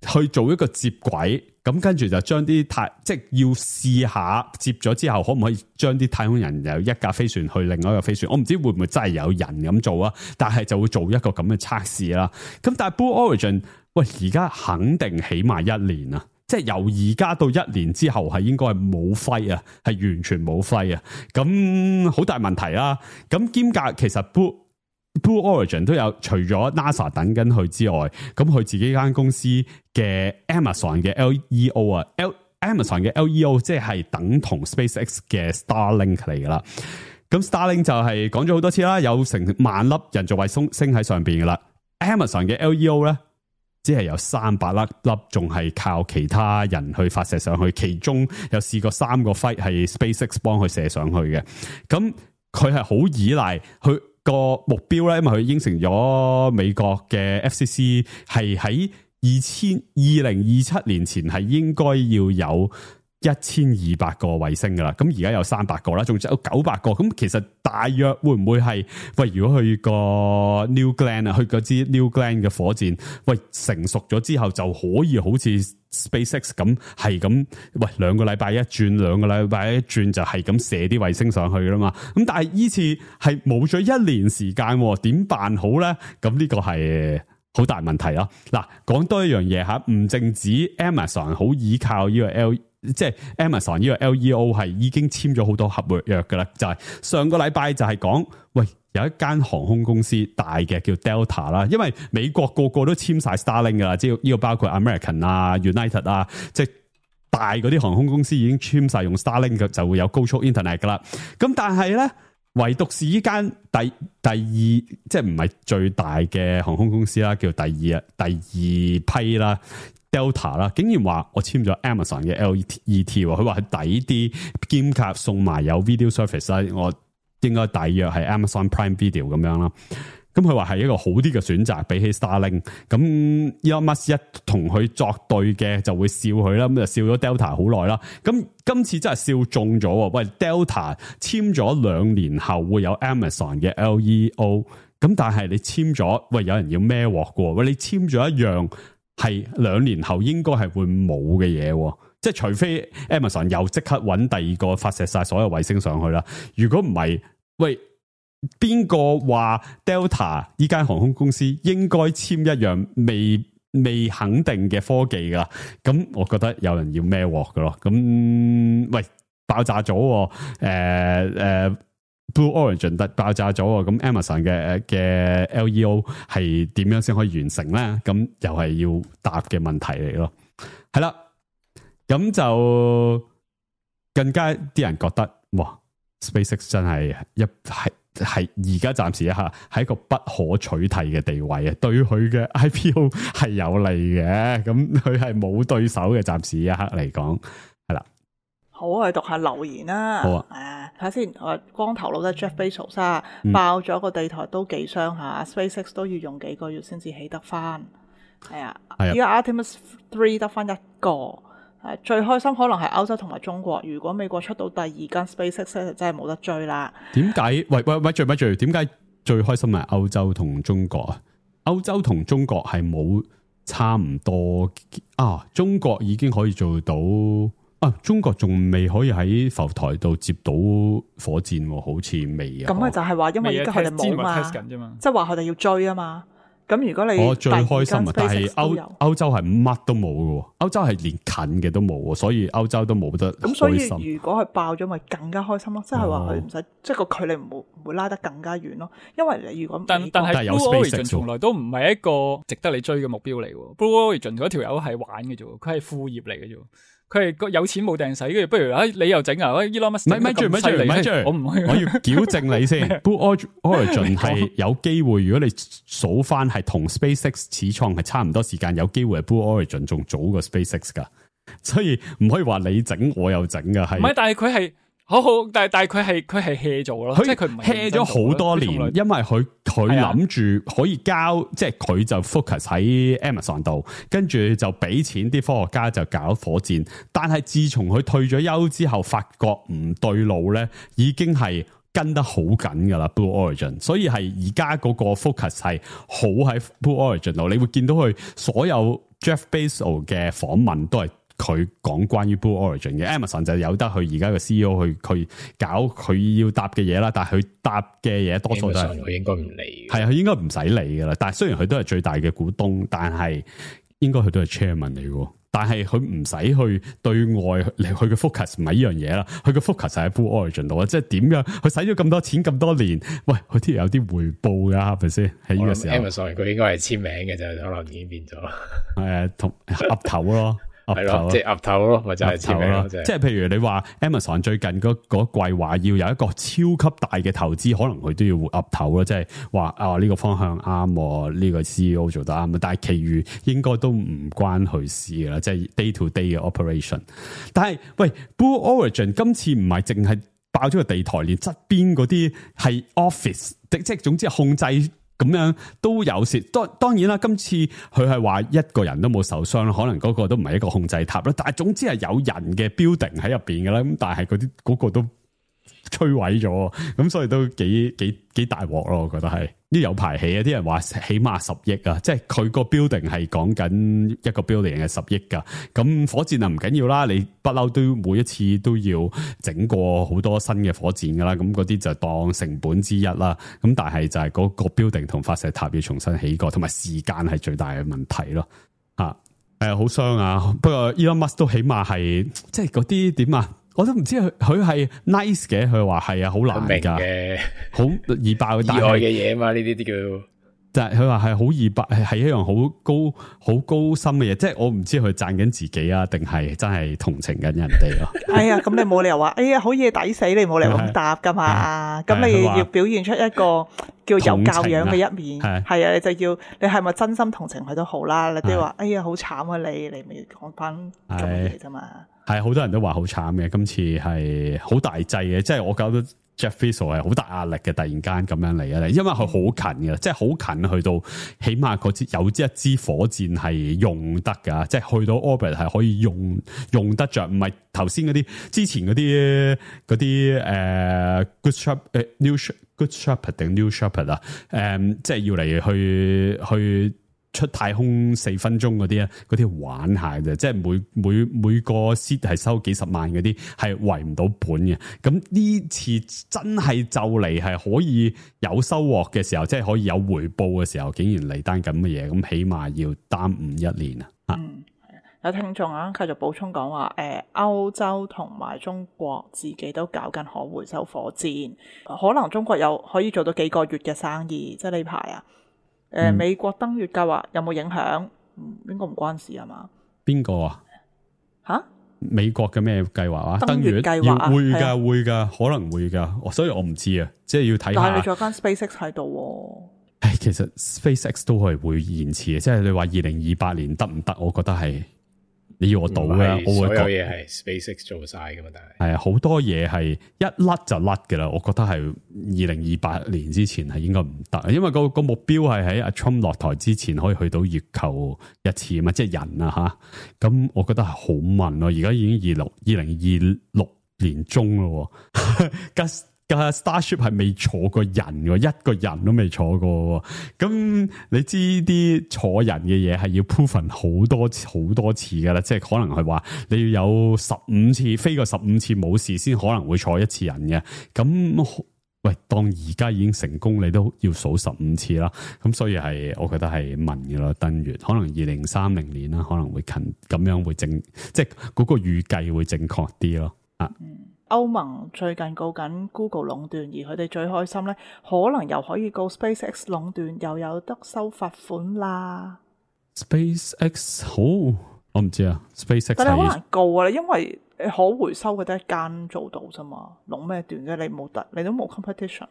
去做一個接軌。咁跟住就將啲太即係要試下接咗之後，可唔可以將啲太空人由一架飛船去另外一個飛船？我唔知會唔會真係有人咁做啊？但係就會做一個咁嘅測試啦。咁但係 Blue Origin，喂，而家肯定起碼一年啊！即係由而家到一年之後係應該係冇飛啊，係完全冇飛啊！咁好大問題啦。咁兼夾其實 Blue Blue Origin 都有，除咗 NASA 等緊佢之外，咁佢自己間公司嘅 Amazon 嘅 L E O 啊 ，Amazon 嘅 L E O 即係等同 SpaceX 嘅 Starlink 嚟噶啦。咁 Starlink 就係講咗好多次啦，有成萬粒人造衛星星喺上邊噶啦。Amazon 嘅 L E O 咧，只係有三百粒粒，仲係靠其他人去發射上去，其中有試過三個 flight 係 SpaceX 幫佢射上去嘅。咁佢係好依賴佢個目標咧，因為佢應承咗美國嘅 F C C 係喺二千二零二七年前係應該要有一千二百個衛星噶啦，咁而家有三百個啦，仲有九百個，咁其實大約會唔會係喂？如果去個 New Glenn 啊，去嗰支 New Glenn 嘅火箭，喂成熟咗之後就可以好似 SpaceX 咁係咁，喂兩個禮拜一轉，兩個禮拜一轉就係咁射啲衛星上去啦嘛。咁但係依次係冇咗一年時間，點辦好咧？咁呢個係好大問題咯。嗱，講多一樣嘢吓，唔淨止 Amazon 好依靠呢個 L。即係 Amazon 呢個 L E O 係已經簽咗好多合約噶啦，就係、是、上個禮拜就係講，喂有一間航空公司大嘅叫 Delta 啦，因為美國個個都簽晒 Starlink 噶啦，即係呢個包括 American 啊、United 啊，即係大嗰啲航空公司已經簽晒用 Starlink 嘅，就會有高速 Internet 噶啦。咁但係咧，唯獨是呢間第第二即係唔係最大嘅航空公司啦，叫第二啊第二批啦。Delta 啦，竟然話我簽咗 Amazon 嘅 L E T， 佢話係抵啲，兼夾送埋有 video service 啦，我應該大約係 Amazon Prime Video 咁樣啦。咁佢話係一個好啲嘅選擇，比起 Starlink。咁 Elon Musk 一同佢作對嘅，就會笑佢啦，咁就笑咗 Delta 好耐啦。咁今次真係笑中咗，喂 Delta 簽咗兩年後會有 Amazon 嘅 L E O， 咁但係你簽咗，喂有人要孭鑊嘅，喂你簽咗一樣。係兩年後應該係會冇嘅嘢，即係除非 Amazon 又即刻揾第二個發射晒所有衛星上去啦。如果唔係，喂邊個話 Delta 呢間航空公司應該簽一樣未未肯定嘅科技噶？咁我覺得有人要孭鑊噶咯。咁喂爆炸咗，誒、呃、誒。呃Blue Origin 突爆炸咗，咁 Amazon 嘅嘅 L E O 係點樣先可以完成咧？咁又係要答嘅問題嚟咯。係啦，咁就更加啲人覺得，哇 ！SpaceX 真係一係係而家暫時一下係一個不可取替嘅地位啊，對佢嘅 I P O 係有利嘅。咁佢係冇對手嘅，暫時一刻嚟講係啦。好，我哋讀下留言啦。好啊。睇下先，我光頭佬咧 Jeff Bezos 啊，爆咗個地台都幾傷下、嗯、，SpaceX 都要用幾個月先至起得翻。係啊，而家 Artemis 三得翻一個，誒最開心可能係歐洲同埋中國。如果美國出到第二間 SpaceX 咧，就真係冇得追啦。點解？喂喂喂，最咪最？點解最開心係歐洲同中國啊？歐洲同中國係冇差唔多啊？中國已經可以做到。啊！中國仲未可以喺浮台度接到火箭，好似未啊。咁啊，就係話因為而家佢哋冇嘛，即係話佢哋要追啊嘛。咁如果你我最開心啊，但係歐歐洲係乜都冇嘅，歐洲係連近嘅都冇，所以歐洲都冇得開心。咁所以如果佢爆咗，咪更加開心咯。即係話佢唔使，即係個距離唔會唔會拉得更加遠咯。因為你如果但但係 Blue Origin 從來都唔係一個值得你追嘅目標嚟喎。Blue Origin 嗰條友係玩嘅啫，佢係副業嚟嘅啫。佢係有錢冇掟使，跟住不如啊，你又整啊，Elon Musk 咪住咪住咪住，我唔我要矯正你先。Blue Origin 係有機會，如果你數翻係同 SpaceX 始創係差唔多時間，有機會係 Blue Origin 仲早過 SpaceX 噶，所以唔可以話你整我又整噶，係。唔係，但係佢係。好好，但係但係佢係佢係 hea 做咯，即係佢唔係 hea 咗好多年，因為佢佢諗住可以交，啊、即係佢就 focus 喺 Amazon 度，跟住就俾錢啲科學家就搞火箭。但係自從佢退咗休之後，發覺唔對路咧，已經係跟得好緊噶啦 Blue Origin， 所以係而家嗰個 focus 係好喺 Blue Origin 度，你會見到佢所有 Jeff Bezos 嘅訪問都係佢講關於 Blue Origin 嘅 Amazon 就有得佢而家嘅 C E O 去去搞佢要答嘅嘢啦，但係佢答嘅嘢多數都係佢應該唔理，係啊，佢應該唔使理噶啦。但係雖然佢都係最大嘅股東，但係應該佢都係 chairman 嚟嘅。但係佢唔使去對外，佢嘅 focus 唔係呢樣嘢啦，佢嘅 focus 係喺 Blue Origin 度啊，即係點樣？佢使咗咁多錢咁多年，喂，佢都有啲回報噶，係咪先？喺呢個時候 ，Amazon 佢應該係簽名嘅就可能已經變咗，係同岌頭咯。係咯，即係岌頭咯，或者係簽名咯，即係譬如你話 Amazon 最近嗰嗰季話要有一個超級大嘅投資，可能佢都要岌頭咯，即係話啊呢個方向啱，呢個 C E O 做得啱，但係其餘應該都唔關佢事啦，即係 day to day 嘅 operation。但係喂 ，Blue Origin 今次唔係淨係爆咗個地台，連側邊嗰啲係 office，即係總之係控制。咁樣都有事，當當然啦。今次佢係話一個人都冇受傷，可能嗰個都唔係一個控制塔啦。但係總之係有人嘅 building 喺入邊嘅啦。咁但係嗰啲嗰個都摧毀咗，咁所以都幾幾幾大鑊咯。我覺得係呢有排起啊！啲人話起碼十億啊，即係佢個 building 係講緊一個 building 係十億噶。咁火箭啊唔緊要啦，你不嬲都每一次都要整過好多新嘅火箭噶啦。咁嗰啲就當成本之一啦。咁但係就係嗰個 building 同發射塔要重新起過，同埋時間係最大嘅問題咯。啊，誒好傷啊！不過 Elon Musk 都起碼係即係嗰啲點啊？我都唔知佢佢係 nice 嘅，佢話係啊，好難噶，好易爆意外嘅嘢嘛，呢啲啲叫。但係佢話係好易爆，係一樣好高好高深嘅嘢，即係我唔知佢讚緊自己啊，定係真係同情緊人哋咯。哎呀，咁你冇理由話，哎呀好嘢抵死，你冇理由咁答噶嘛。咁你要表現出一個叫有教養嘅一面，係啊，你就要你係咪真心同情佢都好啦。你都要話，哎呀好慘啊你，你咪講翻做嘢啫嘛。係好多人都話好慘嘅，今次係好大劑嘅，即係我覺得 Jeff Bezos 係好大壓力嘅，突然間咁樣嚟啊！因為佢好近嘅，即係好近去到，起碼嗰支有一支火箭係用得噶，即係去到 orbit 係可以用用得着，唔係頭先嗰啲之前嗰啲嗰啲誒 Good Shepherd 誒 New Good Shepherd 定 New Shepherd 啊，誒即係要嚟去去。出太空四分鐘嗰啲啊，嗰啲玩下嘅，即係每每每個 seat 係收幾十萬嗰啲，係圍唔到本嘅。咁呢次真係就嚟係可以有收穫嘅時候，即係可以有回報嘅時候，竟然嚟單咁嘅嘢，咁起碼要耽誤一年啊！嗯，有聽眾啊，繼續補充講話，誒、呃，歐洲同埋中國自己都搞緊可回收火箭，可能中國有可以做到幾個月嘅生意，即係呢排啊。誒、呃，美國登月計劃有冇影響？應該唔關事係嘛？邊個啊？吓？美國嘅咩計劃啊？登月計劃啊？會噶會噶，可能會噶，所以我唔知啊，即係要睇下。但係你仲有間 SpaceX 喺度。誒，其實 SpaceX 都係會延遲嘅，即係你話二零二八年得唔得？我覺得係你要我賭嘅，我會所有嘢係 SpaceX 做晒噶嘛，但係係啊，好多嘢係一甩就甩噶啦。我覺得係二零二八年之前係應該唔得，因為個個目標係喺阿 Trump 落台之前可以去到月球一次啊嘛，即係人啊吓。咁我覺得係好慢咯，而家已經二六二零二六年中咯。架 Starship 係未坐過人嘅，一個人都未坐過。咁你知啲坐人嘅嘢係要 proven 好多好多次噶啦，即係可能係話你要有十五次飛過十五次冇事先可能會坐一次人嘅。咁喂，當而家已經成功，你都要數十五次啦。咁所以係我覺得係問嘅咯，登月可能二零三零年啦，可能會近咁樣會正，即係嗰個預計會正確啲咯。啊。歐盟最近告緊 Google 壟斷，而佢哋最開心咧，可能又可以告 SpaceX 壟斷，又有得收罰款啦。SpaceX 好，我唔知啊。SpaceX 但係好難告啊，因為可回收嘅得一間做到啫嘛，壟咩斷啫？你冇得，你都冇 competition。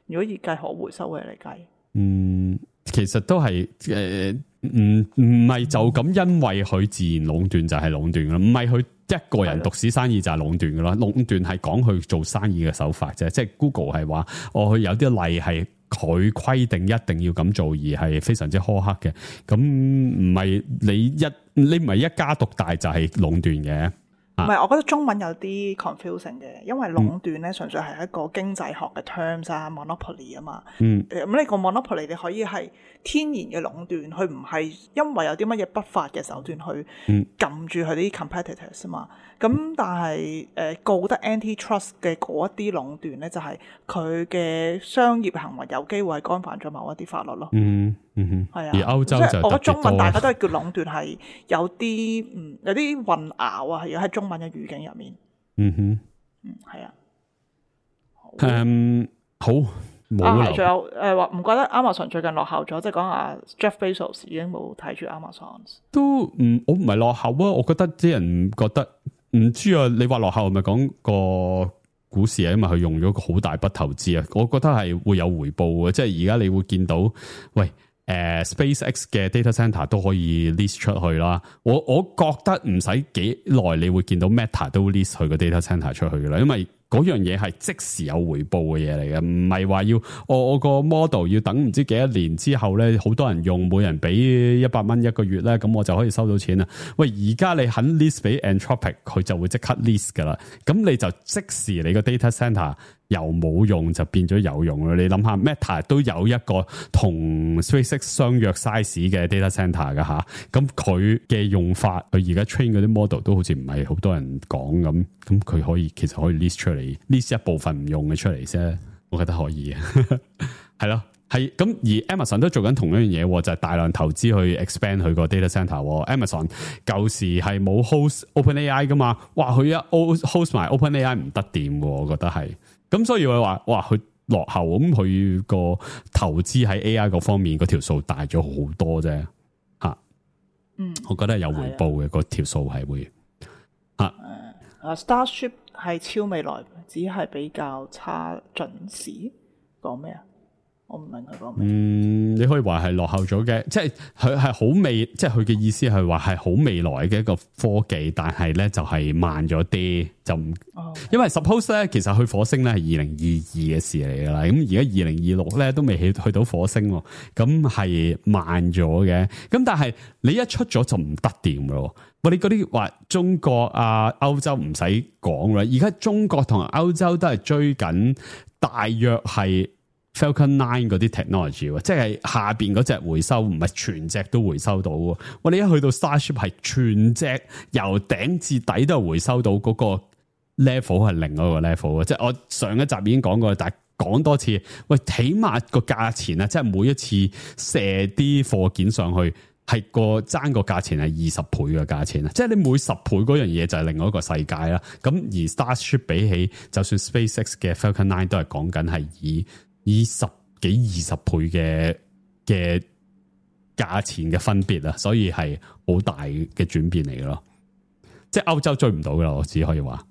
如果以計可回收嘅嚟計，嗯，其實都係誒，唔唔係就咁，因為佢自然壟斷就係壟斷啦，唔係佢。一個人獨市生意就係壟斷噶啦，壟斷係講佢做生意嘅手法啫。即係 Google 係話，哦，佢有啲例係佢規定一定要咁做，而係非常之苛刻嘅。咁唔係你一你唔係一家獨大就係壟斷嘅。唔係，我覺得中文有啲 confusing 嘅，因為壟斷咧純粹係一個經濟學嘅 terms 啊 ，monopoly 啊嘛。嗯。咁呢個 monopoly 你可以係天然嘅壟斷，佢唔係因為有啲乜嘢不法嘅手段去撳住佢啲 competitors 啊嘛。咁但係誒、呃、告得 antitrust 嘅嗰一啲壟斷咧，就係佢嘅商業行為有機會係干犯咗某一啲法律咯。嗯嗯哼，係啊。而歐洲就我覺得中文大家都係叫壟斷，係有啲嗯有啲混淆啊，係要喺中文嘅語境入面。嗯哼，嗯係啊。誒、um, 好冇啦。仲有誒話唔覺得 Amazon 最近落後咗，即係講下 Jeff Bezos 已經冇睇住 Amazon。都唔我唔係落後啊，我覺得啲人覺得。唔知啊，你話落後係咪講個股市啊？因為佢用咗個好大筆投資啊，我覺得係會有回報嘅。即係而家你會見到，喂，誒、呃、SpaceX 嘅 data center 都可以 lease 出去啦。我我覺得唔使幾耐，你會見到 Meta 都 lease 佢個 data center 出去嘅啦，因為嗰樣嘢係即時有回報嘅嘢嚟嘅，唔係話要我我個 model 要等唔知幾多年之後咧，好多人用，每人俾一百蚊一個月咧，咁我就可以收到錢啦。喂，而家你肯 lease 俾 Anthropic，佢就會即刻 lease 噶啦，咁你就即時你個 data center 由冇用就變咗有用啦。你諗下 Meta 都有一個同 SpaceX 相約 size 嘅 data center 噶吓，咁佢嘅用法，佢而家 train 嗰啲 model 都好似唔係好多人講咁，咁佢可以其實可以 lease 出嚟。list 一部分唔用嘅出嚟啫，我覺得可以嘅，係咯，係咁。而 Amazon 都做緊同一樣嘢，就係、是、大量投資去 expand 佢個 data center。Amazon 舊時係冇 host OpenAI 噶嘛，哇，佢一 host 埋 OpenAI 唔得掂，我覺得係。咁所以我話，哇，佢落後，咁佢個投資喺 A I 嗰方面嗰條數大咗好多啫，吓，嗯，我覺得有回報嘅，嗰條數係會，吓，誒，Starship 係超未來。只係比較差準時，講咩啊？我唔明佢講咩。嗯，你可以話係落後咗嘅，即係佢係好未，即係佢嘅意思係話係好未來嘅一個科技，但係咧就係慢咗啲，就唔，哦、因為 suppose 咧，其實去火星咧係二零二二嘅事嚟噶啦，咁而家二零二六咧都未去去到火星，咁係慢咗嘅，咁但係你一出咗就唔得掂咯。我哋嗰啲話中國啊、歐洲唔使講啦，而家中國同歐洲都係追緊大約係 Falcon Nine 嗰啲 technology， 即係下邊嗰隻回收唔係全隻都回收到。我哋一去到 Starship 係全隻由頂至底都係回收到，嗰個 level 係另一個 level。即係我上一集已經講過，但係講多次，喂，起碼個價錢啊，即係每一次射啲貨件上去。係個爭個價錢係二十倍嘅價錢啊！即係你每十倍嗰樣嘢就係另外一個世界啦。咁而 Starship 比起就算 SpaceX 嘅 Falcon Nine 都係講緊係以以十幾二十倍嘅嘅價錢嘅分別啊，所以係好大嘅轉變嚟嘅咯。即係歐洲追唔到噶啦，我只可以話。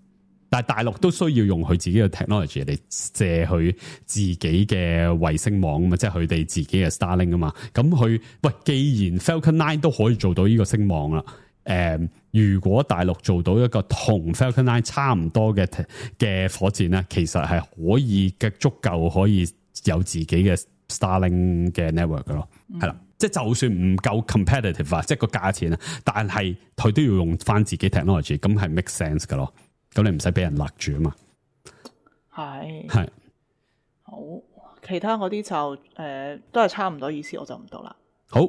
但係大陸都需要用佢自己嘅 technology 嚟借佢自己嘅衛星網啊嘛，即係佢哋自己嘅 Starlink 啊嘛。咁佢喂，既然 Falcon Nine 都可以做到呢個星網啦，誒、呃，如果大陸做到一個同 Falcon Nine 差唔多嘅嘅火箭咧，其實係可以嘅足夠可以有自己嘅 Starlink 嘅 network 嘅咯，係啦、嗯。即係就算唔夠 competitive 啊，即係個價錢啊，但係佢都要用翻自己 technology， 咁係 make sense 嘅咯。咁你唔使俾人勒住啊嘛，係係好，其他嗰啲就誒、呃、都係差唔多意思，我就唔到啦。好，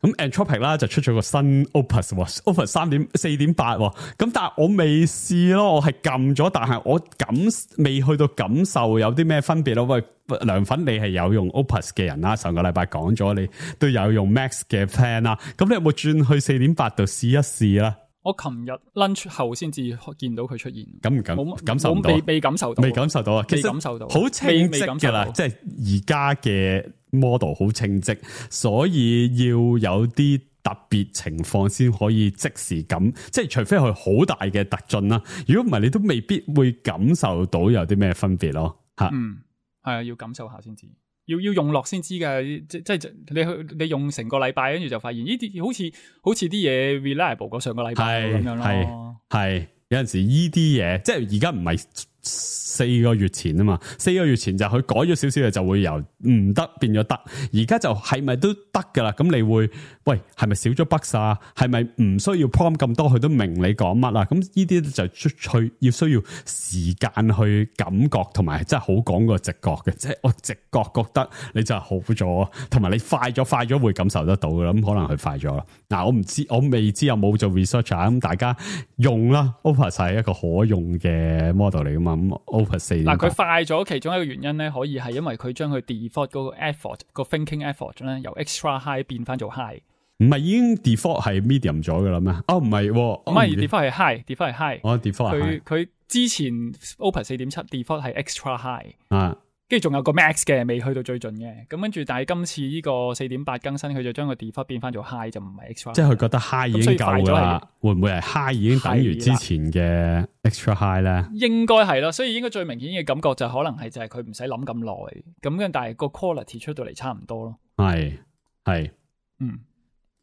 咁 Anthropic 啦就出咗個新 Opus，Opus 三點四點八，咁但係我未試咯，我係撳咗，但係我感未去到感受有啲咩分別咯。喂，涼粉你係有用 Opus 嘅人啦，上個禮拜講咗你都有用 Max 嘅 plan 啦，咁你有冇轉去四點八度試一試啦？我琴日 lunch 後先至見到佢出現，感唔感？感受唔到，未未感受到，未感受到啊！未感受到，好清晰噶啦，即係而家嘅 model 好清晰，所以要有啲特別情況先可以即時感，即係除非佢好大嘅突進啦，如果唔係，你都未必會感受到有啲咩分別咯。吓，嗯，係啊，要感受下先知。要要用落先知噶，即即係你去你用成個禮拜，跟住就發現呢啲好似好似啲嘢 reliable 過上個禮拜咁樣咯。係有陣時呢啲嘢，即係而家唔係四個月前啊嘛，四個月前就佢改咗少少嘅，就會由唔得變咗得，而家就係咪都得噶啦？咁你會喂係咪少咗 bug 啊？係咪唔需要 prompt 咁多，佢都明你講乜啊？咁呢啲就去要需要時間去感覺，同埋真係好講個直覺嘅，即係我直覺覺得你就係好咗，同埋你快咗，快咗會感受得到噶啦。咁可能佢快咗啦。嗱，我唔知，我未知有冇做 research 啊。咁大家用啦 ，Opus 係一個可用嘅 model 嚟噶嘛。咁 Opus 四嗱，佢快咗，其中一個原因咧，可以係因為佢將佢 default 嗰個 effort 個 thinking effort 咧，由 extra high 變翻做 high。唔係已經 default 係 medium 咗噶啦咩？哦，唔係，唔係 default 係 high，default 係 high。哦 default 係佢佢之前 Opus 四點七 default 係 extra high。啊。跟住仲有個 max 嘅，未去到最盡嘅。咁跟住，但係今次呢個四點八更新，佢就將個 default 變翻做 high， 就唔係 extra。即係佢覺得 high 已經夠㗎啦。會唔會係 high 已經等於之前嘅 extra high 咧？應該係咯，所以應該最明顯嘅感覺就可能係就係佢唔使諗咁耐。咁嘅，但係個 quality 出到嚟差唔多咯。係係，嗯。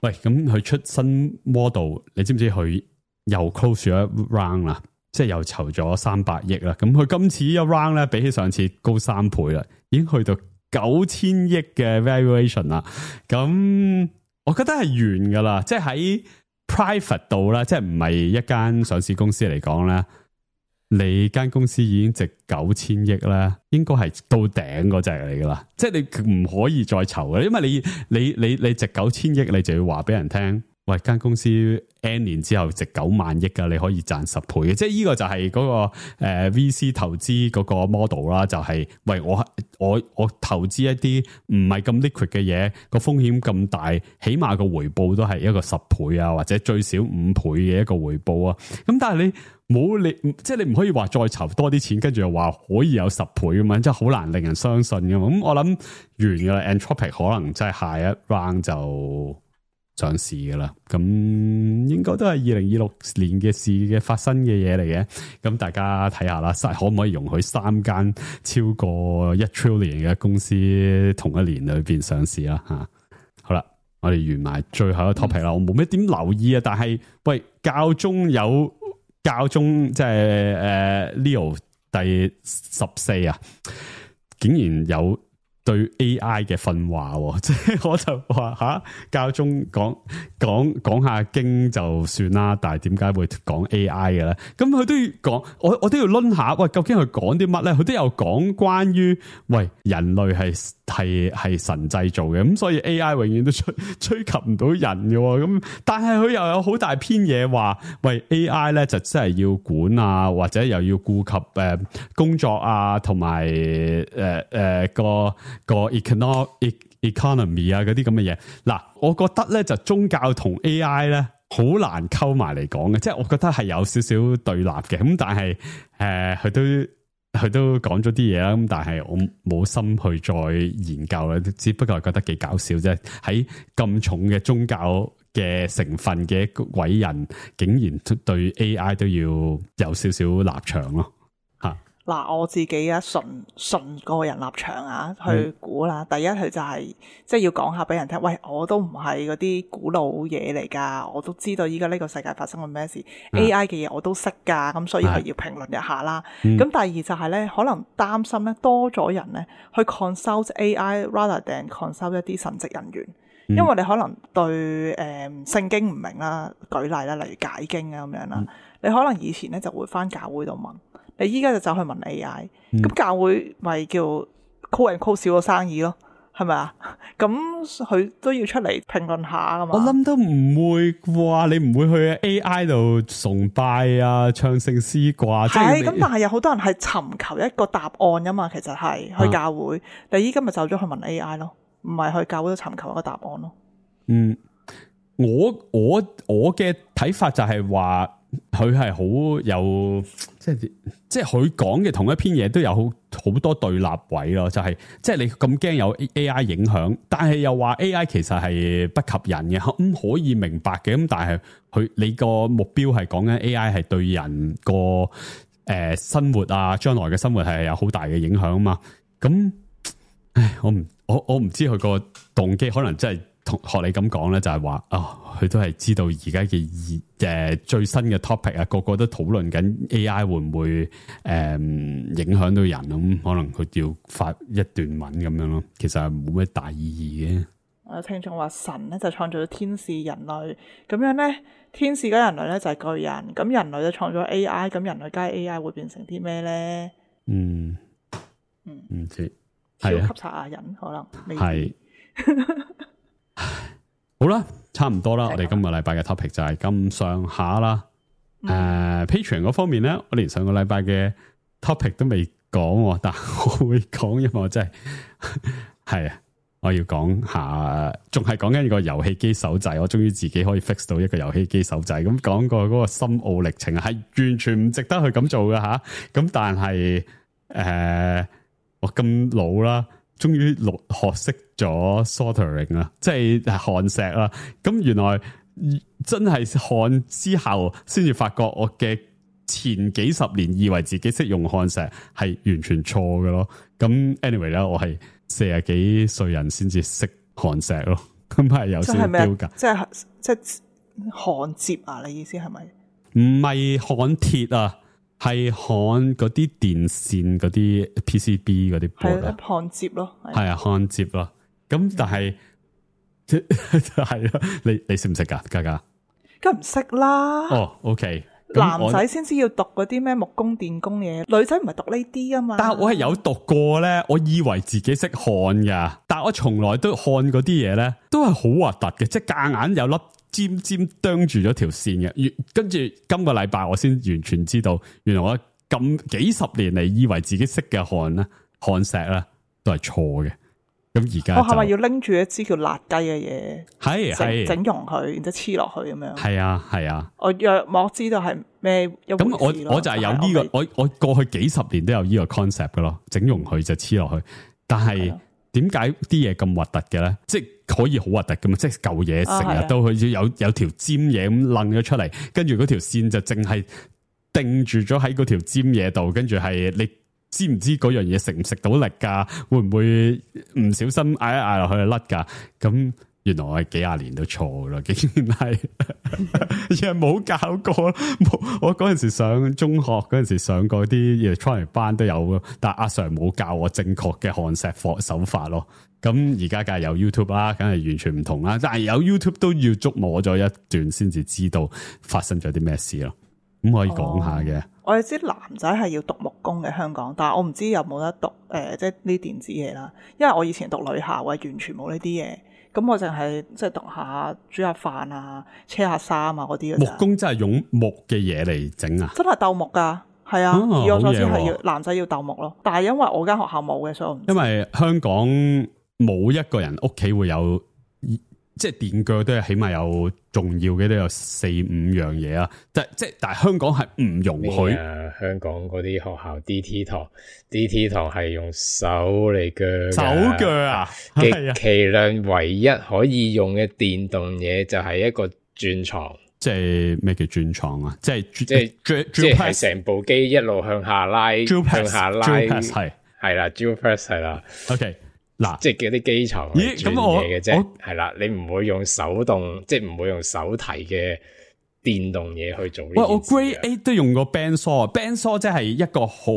喂，咁佢出新 model， 你知唔知佢又 close 咗一 round 啦？即係又籌咗三百億啦，咁佢今次一 round 咧，比起上次高三倍啦，已經去到九千億嘅 valuation 啦。咁我覺得係完噶啦，即係喺 private 度啦，即係唔係一間上市公司嚟講咧，你間公司已經值九千億咧，應該係到頂嗰隻嚟噶啦。即係你唔可以再籌嘅，因為你你你你值九千億，你就要話俾人聽。喂，間公司 N 年之後值九萬億噶，你可以賺十倍嘅，即係呢個就係嗰、那個誒、呃、V C 投資嗰個 model 啦，就係、是、喂我我我投資一啲唔係咁 liquid 嘅嘢，個風險咁大，起碼個回報都係一個十倍啊，或者最少五倍嘅一個回報啊。咁但係你冇你即係你唔可以話再籌多啲錢，跟住又話可以有十倍咁樣，即係好難令人相信噶嘛。咁我諗完噶啦 ，Anthropic 可能真係下一 round 就上市噶啦，咁應該都係二零二六年嘅事嘅發生嘅嘢嚟嘅，咁大家睇下啦，可唔可以容許三間超過一 trillion 嘅公司同一年裏邊上市啦？吓，好啦，我哋完埋最後一個 topic 啦，我冇咩點留意啊，但係喂，教宗有教宗即係誒 Leo 第十四啊，竟然有對 A I 嘅訓話，即係我就話吓，教宗講講講下經就算啦，但係點解會講 A I 嘅咧？咁佢都要講，我我都要論下，喂，究竟佢講啲乜咧？佢都有講關於喂人類係係係神製造嘅，咁所以 A I 永遠都追追及唔到人嘅，咁但係佢又有好大篇嘢話，喂 A I 咧就真係要管啊，或者又要顧及誒、呃、工作啊，同埋誒誒個。個 economic economy 啊，嗰啲咁嘅嘢，嗱，我覺得咧就宗教同 A I 咧好難溝埋嚟講嘅，即係我覺得係有少少對立嘅，咁但係誒佢都佢都講咗啲嘢啦，咁但係我冇心去再研究啦，只不過係覺得幾搞笑啫，喺咁重嘅宗教嘅成分嘅一個偉人，竟然對 A I 都要有少少立場咯。嗱，我自己啊，純純個人立場啊，去估啦。嗯、第一，佢就係即係要講下俾人聽，喂，我都唔係嗰啲古老嘢嚟㗎，我都知道依家呢個世界發生緊咩事、嗯、，A I 嘅嘢我都識㗎，咁所以佢要評論一下啦。咁、嗯、第二就係咧，可能擔心咧多咗人咧去 consult A I rather than consult 一啲神職人員，嗯、因為你可能對誒、呃、聖經唔明啦，舉例啦，例如解經啊咁樣啦，嗯、你可能以前咧就會返教會度問。你依家就走去問 A I，咁、嗯、教會咪叫 call and call 少咗生意咯，係咪啊？咁佢都要出嚟評論下噶嘛？我諗都唔會啩，你唔會去 A I 度崇拜啊、唱聖詩啩？係咁，但係有好多人係尋求一個答案噶嘛，其實係去教會。啊、你依家咪走咗去問 A I 咯，唔係去教會度尋求一個答案咯。嗯，我我我嘅睇法就係話。佢係好有即係即係佢講嘅同一篇嘢都有好好多對立位咯，就係、是、即係你咁驚有 A I 影響，但係又話 A I 其實係不及人嘅，咁、嗯、可以明白嘅，咁但係佢你個目標係講緊 A I 係對人個誒、呃、生活啊，將來嘅生活係有好大嘅影響啊嘛，咁唉我唔我我唔知佢個動機可能真係。同學你咁講咧，就係話啊，佢都係知道而家嘅誒最新嘅 topic 啊，個個都討論緊 A I 會唔會誒、呃、影響到人咁，可能佢要發一段文咁樣咯。其實係冇咩大意義嘅。我聽眾話神咧就創造咗天使人類，咁樣咧天使加人類咧就係巨人，咁人類就創造 A I， 咁人類加 A I 會變成啲咩咧？嗯嗯，唔知超級撒亞人可能係。好啦，差唔多啦。我哋今個禮拜嘅 topic 就係咁上下啦。誒、嗯 uh, ，Patreon 嗰方面咧，我連上個禮拜嘅 topic 都未講，但我會講，因為我真係係啊，我要講下，仲係講緊個遊戲機手掣。我終於自己可以 fix 到一個遊戲機手掣。咁講過嗰個深奧歷程係完全唔值得去咁做嘅吓。咁但係誒、呃，我咁老啦。終於學學識咗 soldering 啦，即係焊錫啦。咁原來真係焊之後，先至發覺我嘅前幾十年以為自己識用焊錫係完全錯嘅咯。咁 anyway 咧，我係四十幾歲人先至識焊錫咯。咁係有少少標格，即係即係焊接啊？你意思係咪？唔係焊鐵啊？係焊嗰啲電線嗰啲 P C B 嗰啲玻璃，焊接咯，係啊，焊接咯。咁但係係咯，你你識唔識噶？嘉嘉，梗唔識啦。哦 ，OK，男仔先知要讀嗰啲咩木工、電工嘢，女仔唔係讀呢啲啊嘛。但係我係有讀過咧，我以為自己識焊噶，但係我從來都焊嗰啲嘢咧，都係好核突嘅，即係夾硬有粒尖尖啄住咗條線嘅，跟住今個禮拜我先完全知道，原來我咁幾十年嚟以為自己識嘅焊咧、焊錫咧都係錯嘅。咁而家我係咪要拎住一支叫辣雞嘅嘢？係係整溶佢，然之後黐落去咁樣。係啊係啊，我約莫知道係咩一回事咯。咁我我就係有呢、這個，我我過去幾十年都有呢個 concept 噶咯，整溶佢就黐落去。但係點解啲嘢咁核突嘅咧？即係可以好核突噶嘛？即係舊嘢成日都好似有有條尖嘢咁掕咗出嚟，跟住嗰條線就淨係定住咗喺嗰條尖嘢度，跟住係你知唔知嗰樣嘢食唔食到力噶？會唔會唔小心嗌一嗌落去就甩噶？咁原來我係幾廿年都錯啦，竟然係又冇教過。冇，我嗰陣時上中學嗰陣時上過啲 electronic 班都有，但阿 Sir 冇教我正確嘅焊錫手法咯。咁而家梗係有 YouTube 啦，梗係完全唔同啦。但係有 YouTube 都要捉摸咗一段先至知道發生咗啲咩事咯。咁可以講下嘅。哦，我哋知男仔係要讀木工嘅香港，但係我唔知有冇得讀誒、呃，即係呢電子嘢啦。因為我以前讀女校，我係完全冇呢啲嘢。咁我淨係即係讀下煮下飯啊、車下衫啊嗰啲。木工真係用木嘅嘢嚟整啊？真係鬥木噶，係啊。哦、以我所知係要男仔要鬥木咯。但係因為我間學校冇嘅，所以我唔知。因為香港冇一個人屋企會有。即係電鋸都係起碼有重要嘅都有四五樣嘢啊！即係即係，但係香港係唔容許。啊、香港嗰啲學校 D T 堂 ，D T 堂係用手嚟鋸，手鋸啊！極其量唯一可以用嘅電動嘢就係一個鑽床。即係咩叫鑽床啊？即係即係即係成部機一路向下拉，向下拉係係啦 ，drill press 係啦。OK。嗱，即係嗰啲機床嚟轉嘢嘅啫，係啦，你唔會用手動，即係唔會用手提嘅電動嘢去做呢件事。喂，我 Grade Eight 都用過 bandsaw，bandsaw 即係一個好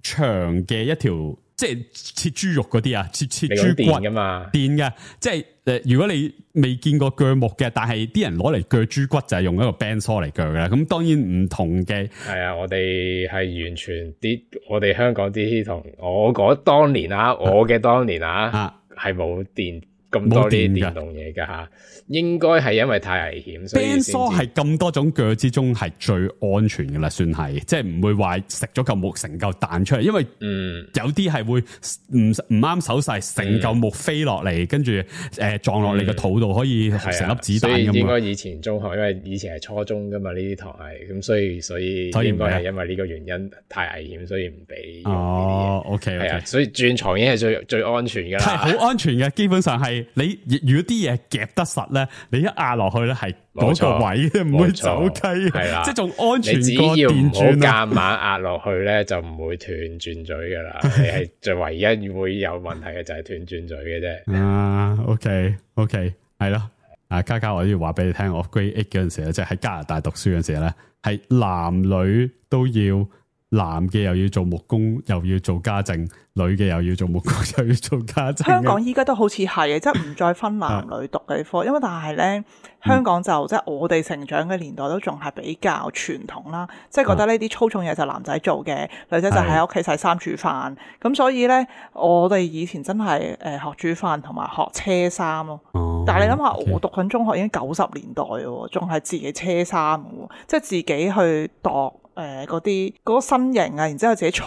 長嘅一條，即係切豬肉嗰啲啊，切切豬骨噶嘛，電嘅，即係誒，如果你未見過鋸木嘅，但係啲人攞嚟鋸豬骨就係用一個 bandsaw 嚟鋸嘅啦。咁當然唔同嘅，係啊，我哋係完全啲，我哋香港啲同我嗰當年啊，我嘅當年啊，係冇電咁多啲電動嘢噶吓，應該係因為太危險。bandsaw 係咁多種鋸之中係最安全嘅啦，算係，即係唔會話食咗嚿木成嚿彈出嚟，因為嗯有啲係會唔唔啱手勢，成嚿木飛落嚟，跟住誒撞落你個肚度，可以成粒子彈咁。所以應該以前中學，因為以前係初中噶嘛，呢啲堂係咁，所以所以應該係因為呢個原因太危險，所以唔俾用呢啲嘢。哦 OK OK，係啊，所以鑽床已經係最最安全噶啦，係好安全嘅，基本上係。你如果啲嘢夾得實咧，你一壓落去咧係嗰個位唔會走雞，係啦，即係仲安全過電鑽。你只要唔好夾硬壓落去咧，就唔會斷鑽嘴噶啦。你係最唯一會有問題嘅就係斷鑽嘴嘅啫。啊 ，OK OK，係咯。啊，嘉嘉，我都要話俾你聽，我 grade eight 嗰陣時咧，即係喺加拿大讀書嗰陣時咧，係男女都要。男嘅又要做木工，又要做家政；女嘅又要做木工，又要做家政。香港依家都好似係嘅，即係唔再分男女讀嘅科，因為但係咧，香港就、嗯、即係我哋成長嘅年代都仲係比較傳統啦，即係覺得呢啲粗重嘢就男仔做嘅，女仔就喺屋企洗衫煮飯。咁所以咧，我哋以前真係誒學煮飯同埋學車衫咯。哦、但係你諗下， okay. 我讀緊中學已經九十年代喎，仲係自己車衫喎，即係自己去度。誒，嗰啲嗰個身形啊，然之後自己裁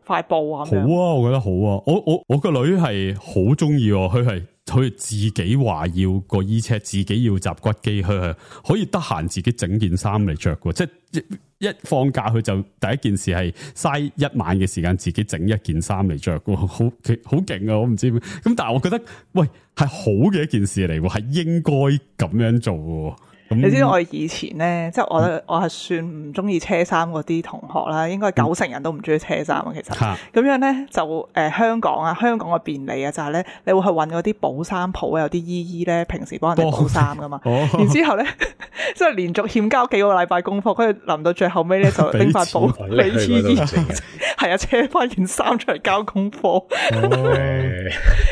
塊布啊，好啊，我覺得好啊，我我我個女係好中意，佢係佢自己話要個衣車，自己要集骨機，佢係可以得閒自己整件衫嚟着嘅，即係一一放假佢就第一件事係嘥一晚嘅時間自己整一件衫嚟着嘅，好好勁啊！我唔知咁，但係我覺得喂係好嘅一件事嚟，係應該咁樣做嘅。你知道我以前咧，即係我我係算唔中意車衫嗰啲同學啦，應該九成人都唔中意車衫啊。其實咁、啊、樣咧就誒、呃、香港啊，香港嘅便利啊，就係、是、咧你會去搵嗰啲補衫鋪，有啲姨姨咧平時幫人哋補衫噶嘛。哦、然之後咧，即係連續欠交幾個禮拜功課，跟住臨到最後尾咧就拎塊布俾姨姨，係啊，車翻件衫出嚟交功課。哦、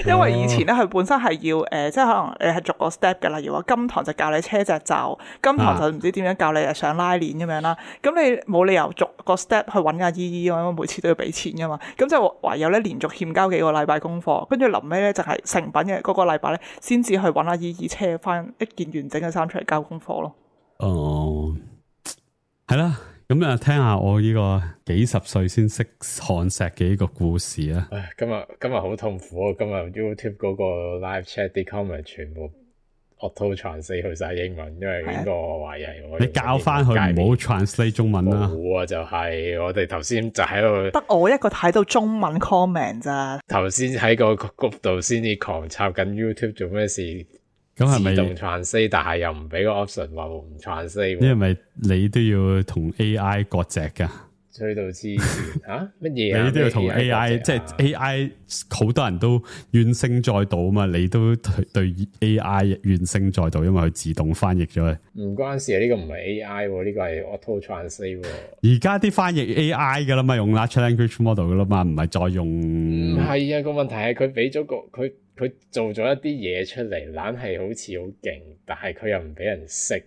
因為以前咧佢本身係要誒、呃，即係可能你係逐個 step 嘅，例如話金堂就教你車隻袖。金堂就唔知點樣教你上拉鏈咁樣啦，咁、啊、你冇理由逐個 step 去揾阿姨姨，因為每次都要俾錢噶嘛，咁就唯有咧連續欠交幾個禮拜功課，跟住臨尾咧就係成品嘅嗰個禮拜咧，先至去揾阿姨姨車翻一件完整嘅衫出嚟交功課咯。哦，係啦，咁啊聽下我呢個幾十歲先識看石嘅呢個故事啊。唉，今日今日好痛苦啊！今日 YouTube 嗰個 live chat 啲 comment 全部。auto translate 去晒英文，因為呢個我懷疑係我你教翻佢唔好 translate 中文啦。冇啊，就係、是、我哋頭先就喺度得我一個睇到中文 comment 咋。頭先喺個 group 度先至狂插緊 YouTube 做咩事？咁係咪自動 translate？但係又唔俾個 option 話唔 translate？因為你都要同 A I 割席噶。吹到黐線嚇乜嘢啊？你都要同 A I， 即係 A I 好多人都怨聲載道啊嘛！你都對 A I 怨聲載道，因為佢自動翻譯咗佢。唔關事啊！呢、這個唔係 A I， 呢個係 auto translate。而家啲翻譯 A I 噶啦嘛，用 large language model 噶啦嘛，唔係再用。唔係啊，個問題係佢俾咗個佢佢做咗一啲嘢出嚟，懶係好似好勁，但係佢又唔俾人識。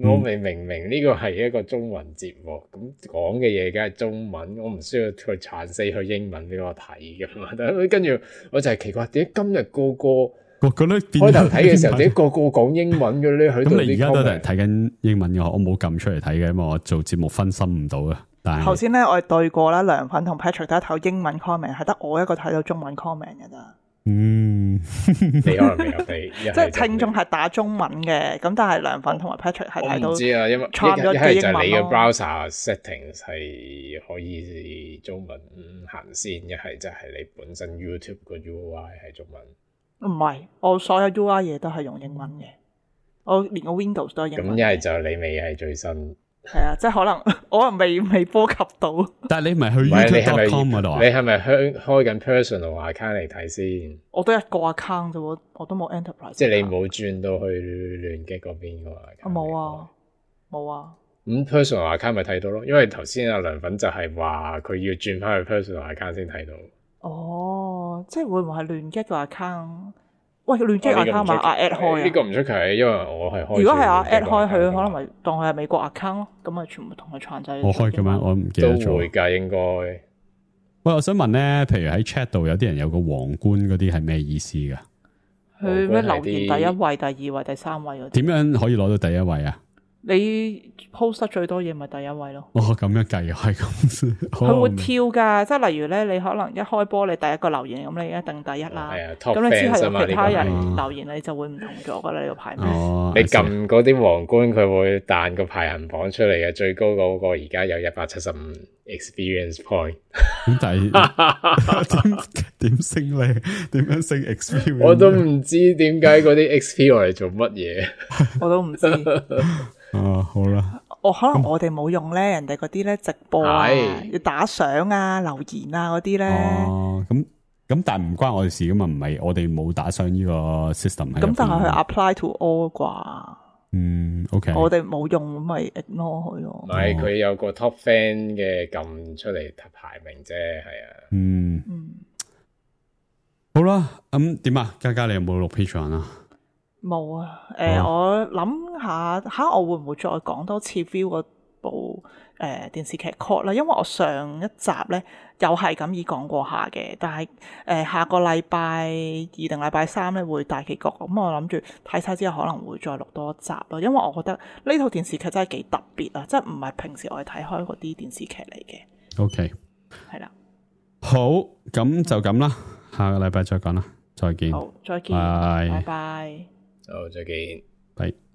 我明明明呢個係一個中文節目，咁講嘅嘢梗係中文，我唔需要去translate去英文俾我睇噶嘛。但係跟住我就係奇怪，點解今日個個我覺得開頭睇嘅時候，點解個個講英文嘅咧？喺度咁你而家都係睇緊英文嘅，我冇撳出嚟睇嘅，因為我做節目分心唔到啊。但係頭先咧，我哋對過啦，涼粉同 Patrick 都係睇英文 comment， 係得我一個睇到中文 comment 嘅咋。嗯，你可能未有睇，即係聽眾係打中文嘅，咁但係涼粉同埋 Patrick 係睇到。我唔知啊，因為串咗嘅英文咯。一係就你嘅 browser settings 係可以中文行先，一係就係你本身 YouTube 個 U I 係中文。唔係，我所有 U I 嘢都係用英文嘅，我連個 Windows 都係英文。咁一係就你未係最新。係啊，即係可能我可能未未波及到。但係你唔係去 YouTube dot com 嗰度啊？你係咪開開緊 personal account 嚟睇先？我都一個 account 啫，我我都冇 enterprise。即係你冇轉到去聯擊嗰邊嘅話，我冇啊，冇啊。咁 personal account 咪睇到咯？因為頭先阿涼粉就係話佢要轉翻去 personal account 先睇到。哦，即係會唔會係聯擊個 account？喂，聯機 account 嘛，阿 at 開啊？呢個唔出奇，因為我係開。如果係阿 at 開，佢可能咪當佢係美國 account 咯，咁咪全部同佢串制。我開嘅咩？我唔記得咗。都會㗎，應該。喂，我想問咧，譬如喺 chat 度有啲人有個皇冠嗰啲係咩意思㗎？佢咩留言第一位、第二位、第三位嗰啲？點樣可以攞到第一位啊？你 post 得最多嘢咪第一位咯。哦，咁樣計係咁。佢會跳噶，即係例如咧，你可能一開波你第一個留言，咁你一定第一啦。係啊，咁你之後有其他人留言，你就會唔同咗噶啦。呢個排名。哦，你撳嗰啲皇冠，佢會彈個排行榜出嚟嘅，最高嗰個而家有一百七十五 experience point。咁但係點點升咧？點樣升 experience？我都唔知點解嗰啲 X P 我嚟做乜嘢。我都唔知。哦，好啦，我、哦、可能我哋冇用咧，人哋嗰啲咧直播啊，要打賞啊、留言啊嗰啲咧。哦，咁咁但係唔關我哋事噶嘛，唔係我哋冇打上呢個 system。咁但係佢 apply to all 啩？嗯 ，OK。我哋冇用，咪 ignore 佢咯。唔係佢有個 top fan 嘅撳出嚟排名啫，係啊。嗯嗯。好啦，咁點啊？嘉嘉你有冇錄 Patreon 啊？冇啊。誒、呃，哦、我諗下吓，我會唔會再講多次 view 嗰部誒、呃、電視劇 Cult 啦？因為我上一集咧又係咁已講過下嘅，但係誒、呃、下個禮拜二定禮拜三咧會大結局，咁我諗住睇晒之後可能會再錄多一集咯。因為我覺得呢套電視劇真係幾特別啊，即係唔係平時我哋睇開嗰啲電視劇嚟嘅。OK，係啦，好，咁就咁啦，下個禮拜再講啦，再見。好，再見，拜拜拜。好，再見，拜。